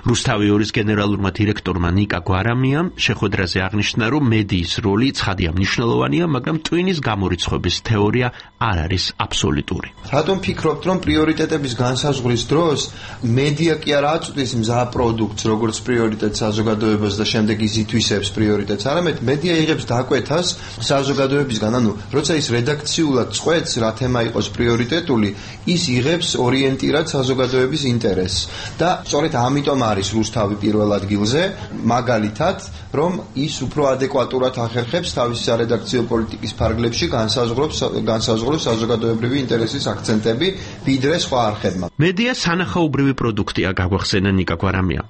რუსთავი 2-ის გენერალურმა დირექტორმა ნიკა გვარამიამ შეხვედრაზე აღნიშნა, რომ მედიის როლი ცხადია მნიშვნელოვანია, მაგრამ ტვინის გამორიცხვების თეორია არ არის აბსოლუტური. რატომ ფიქრობთ, რომ პრიორიტეტების განსაზღვრის დროს მედია კი არ აწვდის მზა პროდუქტს, როგორც პრიორიტეტს საზოგადოებას და შემდეგ ის ითვისებს პრიორიტეტს, არამედ მედია იღებს დაკვეთას საზოგადოებისგან, ანუ როცა ის რედაქციულად წყვეტს, რა თემა იყოს პრიორიტეტული, ის იღებს ორიენტირად საზოგადოების ინტერესს და სწორედ ამიტომ არის რუსთავი პირველ ადგილზე, მაგალითად, რომ ის უფრო ადეკვატურად ახერხებს თავის სარედაქციო პოლიტიკის ფარგლებში განსაზღვროს საზოგადოებრივი ინტერესის აქცენტები, ვიდრე სხვა არხებმა. მედია სანახაობრივი პროდუქტია, გაგვახსენა ნიკა გვარამიამ.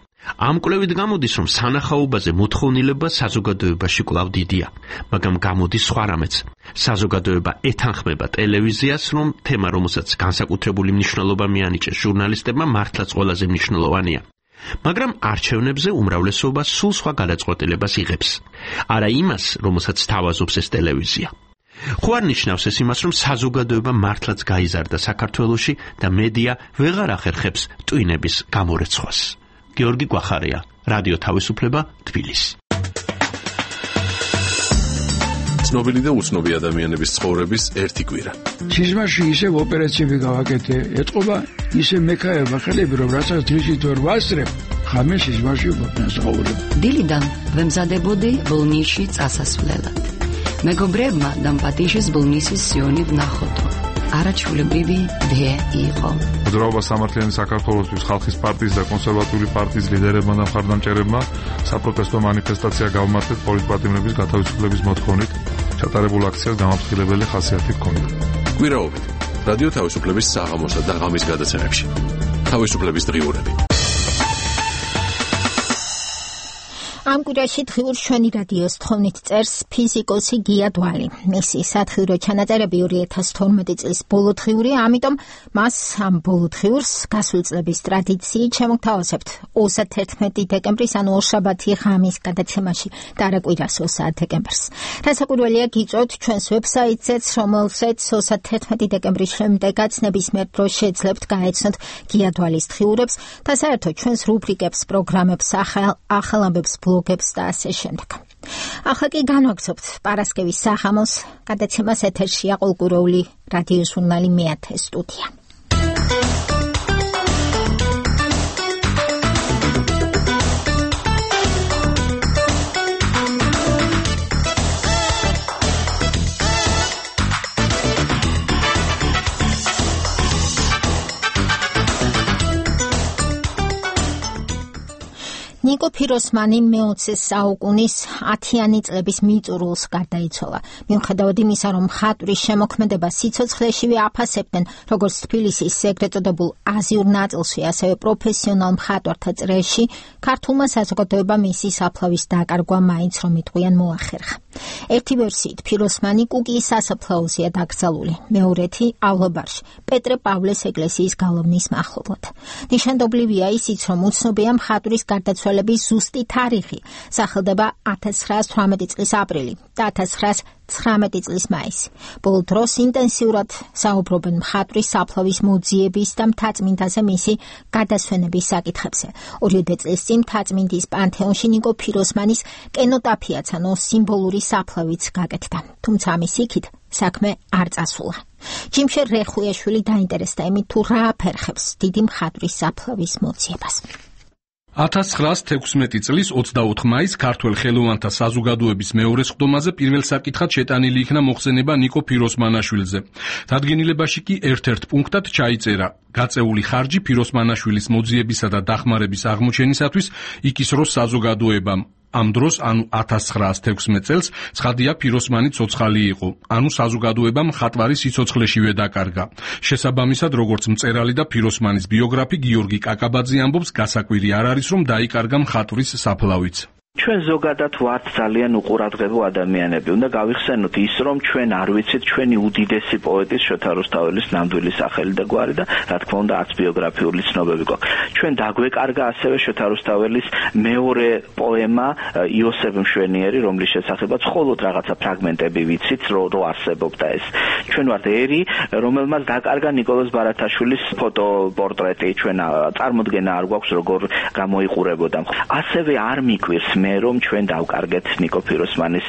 ამ კვლევით გამოდის, რომ სანახაობაზე მოთხოვნილება საზოგადოებაში კვლავ დიდია, მაგრამ გამოდის სხვა რამეც. საზოგადოება ეთანხმება ტელევიზიას, რომ თემა, რომელსაც განსაკუთრებული მნიშვნელობა მიანიჭეს ჟურნალისტებმა, მართლაც ყველაზე მნიშვნელოვანია. მაგრამ არჩევნებზე უმრავლესობა სულ სხვა გადაწყვეტილებას იღებს. არა იმას, რომელსაც თავაზობს ეს ტელევიზია. ხო არ ნიშნავს ეს იმას, რომ საზოგადოება მართლაც გაიზარდა საქართველოში და მედია ვეღარ ახერხებს ტვინების გამორეცხვას. გიორგი გვახარია, რადიო თავისუფლება, თბილისი. ცნობილი და უცნობი ადამიანების ცხოვრების ერთი კვირა. სიზმარში ისევ ოპერაციები გავაკეთე, ეთყობა ისე მექაება ხელები, რომ რასაც დღისით ვერ ვასწრებ, ხამე სიზმარში ვფასაუბრებ. დილიდან ვემზადებოდი ბოლნისში წასასვლელად. მეგობრებმა დამპატიშეს ბოლნისის სიონი ვნახოთო. არაჩვეულებრივი დე იყო. მოძრაობა სამართლიანი საქართველოსთვის ხალხის პარტიის და კონსერვატიული პარტიის ლიდერებმა და მხარდამჭერებმა საპროტესტო მანიფესტაცია გავმართეთ პოლიტპატიმრების გათავისუფლების მოთხოვნით. ჩატარებულ აქციას გამაფრთხილებელი ხასიათი ჰქონდა. კვირაობით რადიო თავისუფლების საღამოსა და ღამის გადაცემებში. თავისუფლების დღიურები. ამ კვირაში დღიურ ჩვენი რადიოს თხოვნით წერს ფიზიკოსი გია დვალი. მისი სათხიურო ჩანაწერები 2012 წლის ბოლო დღიური, ამიტომ მას ამ ბოლო დღიურს გასული წლების ტრადიციით შემოგთავაზებთ 31 დეკემბრის, ანუ ორშაბათი ღამის გადაცემაში და არა კვირას 30 დეკემბერს. რასაკვირველია გიწვევთ ჩვენს ვებსაიტზეც, რომელზეც 31 დეკემბრის შემდეგაც ნებისმიერ დროს შეძლებთ გაეცნოთ გია დვალის დღიურებს და საერთოდ ჩვენს რუბრიკებს, პროგრამებს, ახალ ამბებს, ბლოგებს და ასე შემდეგ. ახლა კი განვაგრძობთ პარასკევის საღამოს გადაცემას. ეთერშია ყოლკურეული რადიო ჟურნალი მე-10 სტუდია. ნიკო ფიროსმანი მე-20 საუკუნის 10-იანი წლების მიწურულს გარდაიცვალა. მიუხედავად იმისა, რომ მხატვრის შემოქმედება სიცოცხლეშივე აფასებდნენ როგორც თბილისის ეგრეთ წოდებულ აზიურ ნაწილში, ასევე პროფესიონალ მხატვართა წრეში, ქართულმა საზოგადოებამ მისი საფლავის დაკარგვა მაინც რომ იტყვიან მოახერხა. ერთი ვერსიით ფიროსმანი კუკიის სასაფლაოზეა დაკრძალული, მეორეთი ავლაბარში, პეტრე პავლეს ეკლესიის გალავნის მახლობლად. ნიშანდობლივია ისიც, რომ უცნობია მხატვრის გარდაცვალების ზუსტი თარიღი, სახელდება 1918 წლის აპრილი და 1919 წლის მაისი. ბოლო დროს ინტენსიურად საუბრობენ მხატვრის საფლავის მოძიების და მთაწმინდაზე მისი გადასვენების საკითხებზე. 2 წლის წინ მთაწმინდის პანთეონში ნიკო ფიროსმანის კენოტაფიაც, ანუ სიმბოლური საფლავიც გაკეთდა. თუმცა ამის იქით საქმე არ წასულა. ჯიმშერ რეხუიაშვილი დაინტერესდა იმით, თუ რა აფერხებს დიდი მხატვრის საფლავის მოძიებას. 1916 წლის 24 მაისს ქართველ ხელოვანთა საზოგადოების მეორე სხდომაზე პირველ საკითხად შეტანილი იქნა მოხსენება ნიკო ფიროსმანაშვილზე. დადგენილებაში კი ერთ-ერთ პუნქტად ჩაიწერა: გაწეული ხარჯი ფიროსმანაშვილის მოძიებისა და დახმარების აღმოჩენისათვის იკისროს საზოგადოებამ. ამ დროს, ანუ 1916 წელს, ცხადია ფიროსმანი ცოცხალი იყო, ანუ საზოგადოებამ მხატვარი სიცოცხლეშივე დაკარგა. შესაბამისად, როგორც მწერალი და ფიროსმანის ბიოგრაფი გიორგი კაკაბაძე ამბობს, გასაკვირი არ არის, რომ დაიკარგა მხატვრის საფლავიც. ჩვენ ზოგადად ვართ ძალიან უყურადღებო ადამიანები. უნდა გავიხსენოთ ის, რომ ჩვენ არ ვიცით ჩვენი უდიდესი პოეტის შოთა რუსთაველის ნამდვილი სახელი და გვარი და რა თქმა უნდა არც ბიოგრაფიული ცნობები გვაქვს. ჩვენ დაგვეკარგა ასევე შოთა რუსთაველის მეორე პოემა იოსებ მშვენიერი, რომლის შესახებაც მხოლოდ რაღაცა ფრაგმენტები ვიცით, რო არსებობდა ეს. ჩვენ ვართ ერი, რომელმაც დაკარგა ნიკოლოზ ბარათაშვილის ფოტოპორტრეტი. ჩვენ წარმოდგენა არ გვაქვს როგორ გამოიყურებოდა. ასევე არ მიგვირს რომ ჩვენ დავკარგეთ ნიკო ფიროსმანის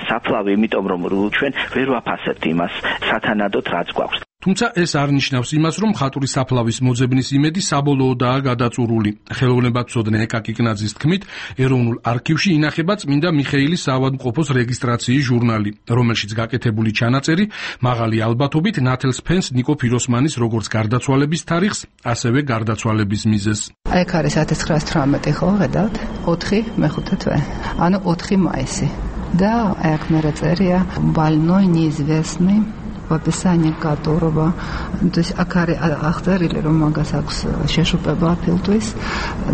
საფლავი, იმიტომ რომ ჩვენ ვერ ვაფასებთ იმას სათანადოდ რაც გვაქვს. თუმცა ეს არ ნიშნავს იმას, რომ მხატვრის საფლავის მოძებნის იმედი საბოლოოდაა გადაწურული. ხელოვნებაცოდნე ეკა კიკნაძის თქმით, ეროვნულ არქივში ინახება წმინდა მიხეილის საავადმყოფოს რეგისტრაციის ჟურნალი, რომელშიც გაკეთებული ჩანაწერი მაღალი ალბათობით ნათელს ფენს ნიკო ფიროსმანის როგორც გარდაცვალების თარიღს, ასევე გარდაცვალების მიზეზს. აი აქ არის 1918 ხო, ხედავთ? 4 მეხუთე თვე. ანუ 4 მაისი. და აი აქ მე წერია больной неизвестный в описании которого, то есть აქ არის აღწერილი, რომ მაგას აქვს შეშუპება ფილტვის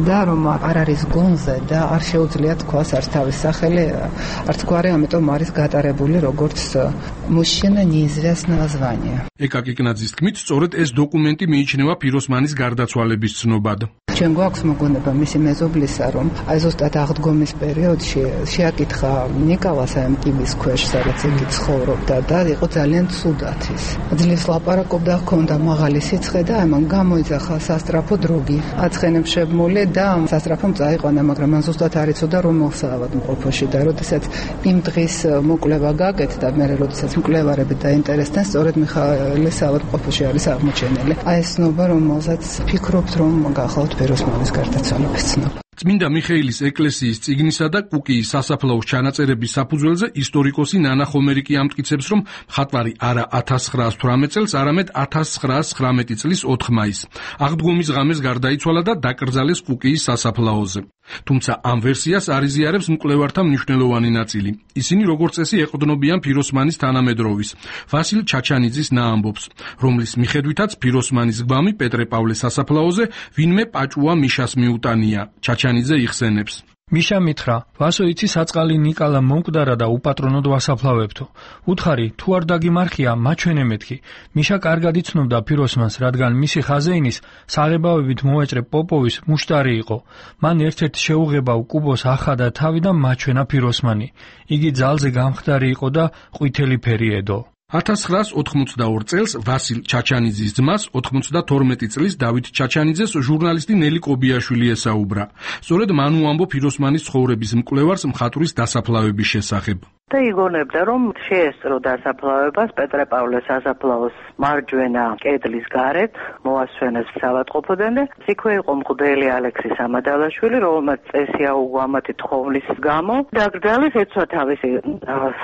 და რომ არ არის გონზე და არ შეუძლია თქვას არც თავის სახელი, არც გვარი, ამიტომ არის გატარებული როგორც мужчина неизвестного звания. ეკა კიკნაძის თქმით, სწორედ ეს დოკუმენტი მიიჩნევა ფიროსმანის გარდაცვალების ცნობად. ჩვენ გვაქვს მოგონება მისი მეზობლისა, რომ აი ზუსტად აღდგომის პერიოდში შეაკითხა ნიკოლას ამ ტიბის ქვეშ, სადაც იგი ცხოვრობდა და იყო ძალიან ცუდად ის. ძლივს ლაპარაკობდა, ჰქონდა მაღალი სიცხე და ამან გამოიძახა სასტრაფო დროგი. აცხენებს შემმული და სასტრაფომ წაიყვანა, მაგრამ მან ზუსტად არ იცოდა რომელ საავადმყოფოში და როდესაც იმ დღის მოკვლევა გაკეთდა, მე როდესაც მკვლევარები დაინტერესდნენ, სწორედ მიხაილის საავადმყოფოში არის აღმოჩენილი. აი ეს ცნობა, რომელსაც ფიქრობთ, რომ გახლავთ ფიროსმანის გარდაცვალების ცნობა. წმინდა მიხეილის ეკლესიის წიგნისა და კუკიის სასაფლაოს ჩანაწერების საფუძველზე ისტორიკოსი ნანა ხომერიკი ამტკიცებს, რომ მხატვარი არა 1918 წელს, არამედ 1919 წლის 4 მაისს აღდგომის ღამეს გარდაიცვალა და დაკრძალეს კუკიის სასაფლაოზე. თუმცა ამ ვერსიას არ იზიარებს მკვლევართა მნიშვნელოვანი ნაწილი. ისინი როგორც წესი ეყრდნობიან ფიროსმანის თანამედროვის, ვასილ ჩაჩანიძის ნაამბობს, რომლის მიხედვითაც ფიროსმანის გვამი პეტრე პავლეს სასაფლაოზე ვინმე პაჭუა მიშას მიუტანია. ჩაჩანიძე იხსენებს. მიშა მითხრა, ვასო იცი საწყალი ნიკალა მომკვდარა და უპატრონოდ ვასაფლავებთო. უთხარი, თუ არ დაგიმარხია, მაჩვენე მეთქი. მიშა კარგად იცნობდა ფიროსმანს, რადგან მისი ხაზეინის საღებავებით მოვეჭრე პოპოვის მუშტარი იყო. მან ერთ-ერთ შეუღებავ კუბოს ახადა თავი და მაჩვენა ფიროსმანი. იგი ძალზე გამხდარი იყო და ყვითელი ფერი ედო. 1982 წელს ვასილ ჩაჩანიძის ძმას 92 წლის დავით ჩაჩანიძეს ჟურნალისტი ნელი კობიაშვილი ესაუბრა. სწორედ მან უამბო ფიროსმანის ცხოვრების მკვლევარს მხატვრის დასაფლავების შესახებ. და იგონებდა, რომ შეესწრო დასაფლავებას პეტრე-პავლეს სასაფლაოს მარჯვენა კედლის გარეთ, მოასვენეს საავადმყოფოდან და იქვე იყო მღვდელი ალექსი სამადალაშვილი, რომელმაც წესი აუღო ამათი თხოვნის გამო დაკრძალეს ეცვა თავისი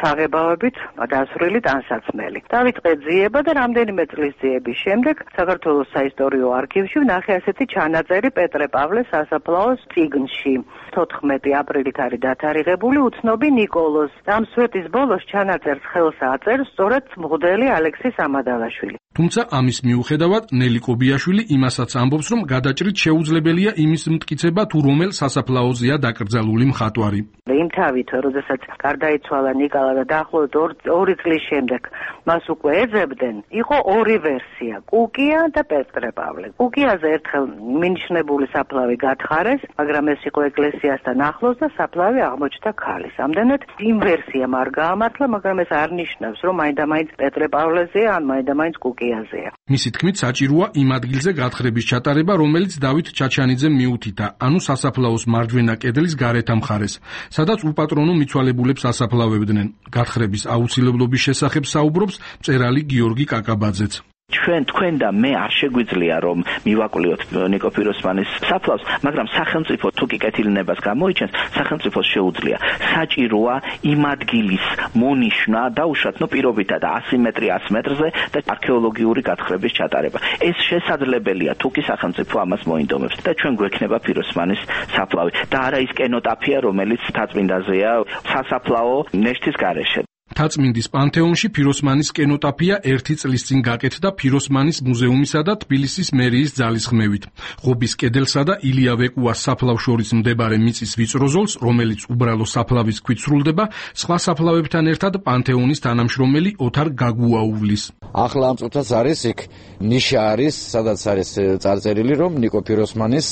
საღებავებით დასრული ტანსაცმელი. დავიწყე ძიება და რამდენიმე წლის ძიების შემდეგ საქართველოს საისტორიო არქივში ვნახე ასეთი ჩანაწერი პეტრე-პავლეს სასაფლაოს წიგნში. 14 აპრილით არის დათარიღებული უცნობი ნიკოლოზ. ამ სვეტის ბოლოს ჩანაწერს ხელს აწერს სწორედ მღვდელი ალექსი სამადალაშვილი. თუმცა ამის მიუხედავად ნელი კობიაშვილი იმასაც ამბობს, რომ გადაჭრით შეუძლებელია იმის მტკიცება, თუ რომელ სასაფლაოზეა დაკრძალული მხატვარი. იმ თავით, როდესაც გარდაიცვალა ნიკალა და დაახლოებით 2 წლის შემდეგ მას უკვე ეძებდნენ, იყო 2 ვერსია, კუკია და პეტრე-პავლე. კუკიაზე ერთხელ მინიშნებული საფლავი გათხარეს, მაგრამ ეს იყო ეკლესიასთან ახლოს და საფლავი აღმოჩნდა ქალის. ამდენად იმ ვერსიამ არ გაამართლა, მაგრამ ეს არ ნიშნავს, რომ მაინდა-მაინც პეტრე-პავლეზეა, ან მაინდა-მაინც კუკიაზეა. მისი თქმით, საჭიროა იმ ადგილზე გათხრების ჩატარება, რომელიც დავით ჩაჩანიძემ მიუთითა, ანუ სასაფლაოს მარჯვენა კედლის გარეთ მხარეს, სადაც უპატრონო მიცვალებულებს ასაფლავებდნენ. გათხრების აუცილებლობის შესახებ საუბრობს მწერალი გიორგი კაკაბაძეც. თქვენ და მე არ შეგვიძლია რომ მივაკვლიოთ ნიკო ფიროსმანის საფლავს, მაგრამ სახელმწიფო თუ კი კეთილნებას გამოიჩენს, სახელმწიფოს შეუძლია. საჭიროა იმ ადგილის მონიშნა დაუშვათ პირობითა და 100 მეტრი 100 მეტრზე და არქეოლოგიური გათხრების ჩატარება. ეს შესაძლებელია თუ კი სახელმწიფო ამას მოინდომებს და ჩვენ გვექნება ფიროსმანის საფლავი და არა ის კენოტაფია, რომელიც თაწმინდაზეა სასაფლაო ნეშტის გარეშე. თაწმინდის პანთეონში ფიროსმანის კენოტაფია 1 წლის წინ გაკეთდა ფიროსმანის მუზეუმისა და თბილისის მერიის ძალისხმევით. ღობის კედელსა და ილია ვეკუას საფლავს შორის მდებარე მიწის ვიწრო ზოლს, რომელიც უბრალო საფლავის ქვით სრულდება, სხვა საფლავებთან ერთად პანთეონის თანამშრომელი ოთარ გაგუაუვლის. ახლა ამ წუთაც არის იქ ნიშა არის, სადაც არის წარწერილი, რომ ნიკო ფიროსმანის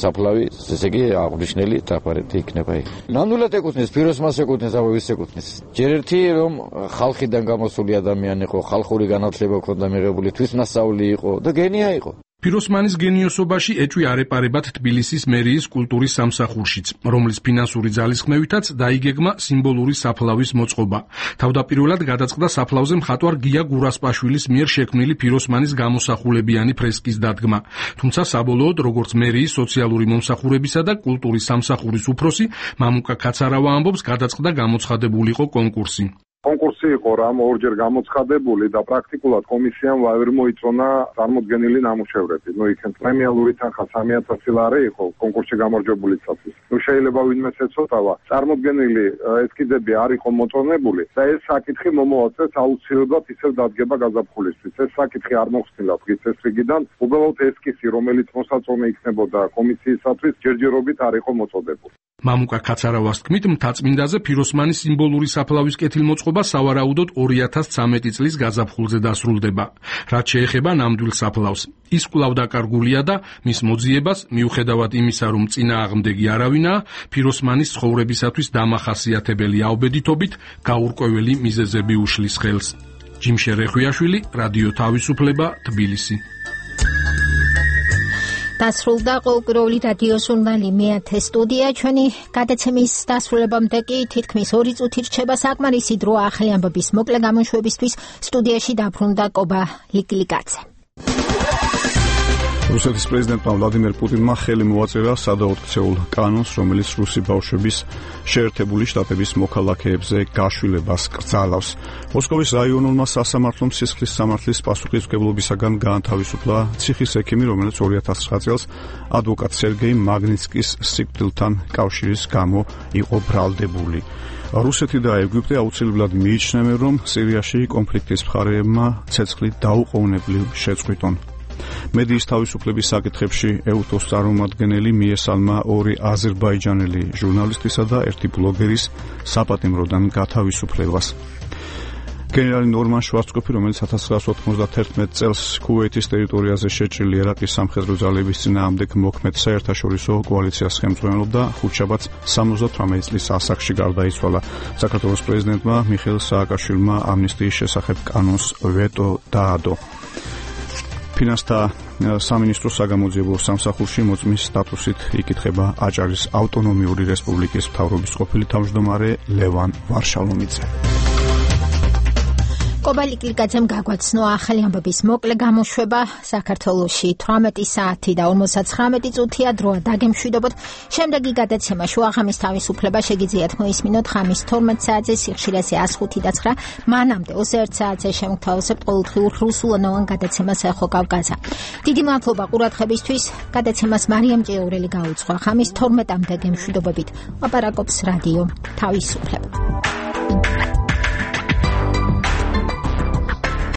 საფლავი, ესე იგი აღნიშნელი ტრაფარეთი იქნება იქ. ნამდვილად ეკუთვნის ფიროსმანს, ეკუთვნის ვის ეკუთვნის. ჯერ ერთი რომ ხალხიდან გამოსული ადამიანი იყო, ხალხური განათლება ჰქონდა მიღებული, თვითნასწავლი იყო და გენია იყო. ფიროსმანის გენიოსობაში ეჭვი არეპარებად თბილისის მერიის კულტურის სამსახურშიც, რომლის ფინანსური ძალისხმევითაც დაიგეგმა სიმბოლური საფლავის მოწყობა. თავდაპირველად გადაწყდა საფლავზე მხატვარ გია გურასპაშვილის მიერ შექმნილი ფიროსმანის გამოსახულებიანი ფრესკის დადგმა. თუმცა საბოლოოდ, როგორც მერიის სოციალური მომსახურებისა და კულტურის სამსახურის უფროსი, მამუკა კაცარავა ამბობს, გადაწყდა გამოცხადებულიყო კონკურსი. კონკურსი იყო რამ ორჯერ გამოცხადებული და პრაქტიკულად კომისიამ ვერ მოიწონა წარმოდგენილი ნამუშევრები. იქენ პრემიალური თანხა 3000 ლარი იყო კონკურსში გამარჯვებულისათვის. შეიძლება ვინმეს ეცოტავა, წარმოდგენილი ესკიზები არ იყო მოწონებული და ეს საკითხი მომოაწეს აუცილებლად ისევ დადგება გაზაფხულისთვის. ეს საკითხი არ მოხსნილა დღის რიგიდან, უბრალოდ ესკიზი, რომელიც მოსაწონე იქნებოდა კომისიისათვის, ჯერჯერობით არ იყო მოწოდებული. მამუკა კაცარავას თქმით, მთაწმინდაზე ფიროსმანის სიმბოლური საფლავის კეთილმოწყობა სავარაუდოდ 2013 წლის გაზაფხულზე დასრულდება. რაც შეეხება ნამდვილ საფლავს, ის კვლავ დაკარგულია და მის მოძიებას, მიუხედავად იმისა, რომ წინააღმდეგი არავინაა, ფიროსმანის ცხოვრებისათვის დამახასიათებელი აუბედითობით გაურკვეველი მიზეზები უშლის ხელს. ჯიმშე რეხვიაშვილი, რადიო თავისუფლება, თბილისი. დასრულდა ყოველკვირეული რადიო ჟურნალი მე-10 სტუდია. ჩვენი გადაცემის დასრულებამდე კი თითქმის 2 წუთი რჩება საკმარისი დრო ახალი ამბების მოკლე გამოშვებისთვის. სტუდიაში დაბრუნდა კობა ლიკლიკაძე. რუსეთის პრეზიდენტმა ვლადიმერ პუტინმა ხელი მოაწერა სადაოთხცეულ კანონს, რომელიც რუსი ბავშვების შეერთებული შტატების მოქალაქეებზე გაშვილებას კრძალავს. მოსკოვის რაიონულმა სასამართლომ სისხლის სამართლის პასუხისმგებლობისაგან გაანთავისუფლა ციხის ექიმი, რომელიც 2009 წელს ადვოკატ სერგეი მაგნიცკის სიკვდილთან კავშირის გამო იყო ბრალდებული. რუსეთი და ეგვიპტე აუცილებლად მიიჩნევენ, რომ სირიაში კონფლიქტის მხარეებმა ცეცხლით დაუყოვნებლივ შეწყვიტონ მედიის თავისუფლების საკითხებში EUTOS წარმომადგენელი მიესალმა 2 აზერბაიჯანელი ჟურნალისტისა და 1 ბლოგერის საპატიმროდან გათავისუფლებას. გენერალი ნორმან შვარცკოფი, რომელიც 1991 წელს ქუვეითის ტერიტორიაზე შეჭრილი ერაყის სამხედრო ძალების წინააღმდეგ მოქმედ საერთაშორისო კოალიციას ხელმძღვანელობდა, ხუთშაბათს 78 წლის ასაკში გარდაიცვალა. საქართველოს პრეზიდენტმა მიხეილ სააკაშვილმა ამნისტიის შესახებ კანონს ვეტო დაადო. ფინანსთა სამინისტრო საგამოძიებო სამსახურში მოწმის სტატუსით იკითხება აჭარის ავტონომიური რესპუბლიკის მთავრობის ყოფილი თავმჯდომარე ლევან ვარშალომიძე. კობალიკ ლიკაძემ გაგვაცნო ახალი ამბების მოკლე გამოშვება. საქართველოში 18 საათი და 59 წუთია დროა დაგემშვიდობოთ. შემდეგი გადაცემა შუაღამის თავისუფლება შეგიძლიათ მოისმინოთ ღამის 12 საათზე სიხშირეზე 105.9. მანამდე 21 საათზე შემოგთავაზებთ ყოველდღიურ რუსულენოვან გადაცემას ეხო კავკაზა. დიდი მადლობა ყურადღებისთვის. გადაცემას მარიამ ჭიაურელი გაუძღვა. ღამის 12-მდე გემშვიდობებით. ლაპარაკობს რადიო თავისუფლება.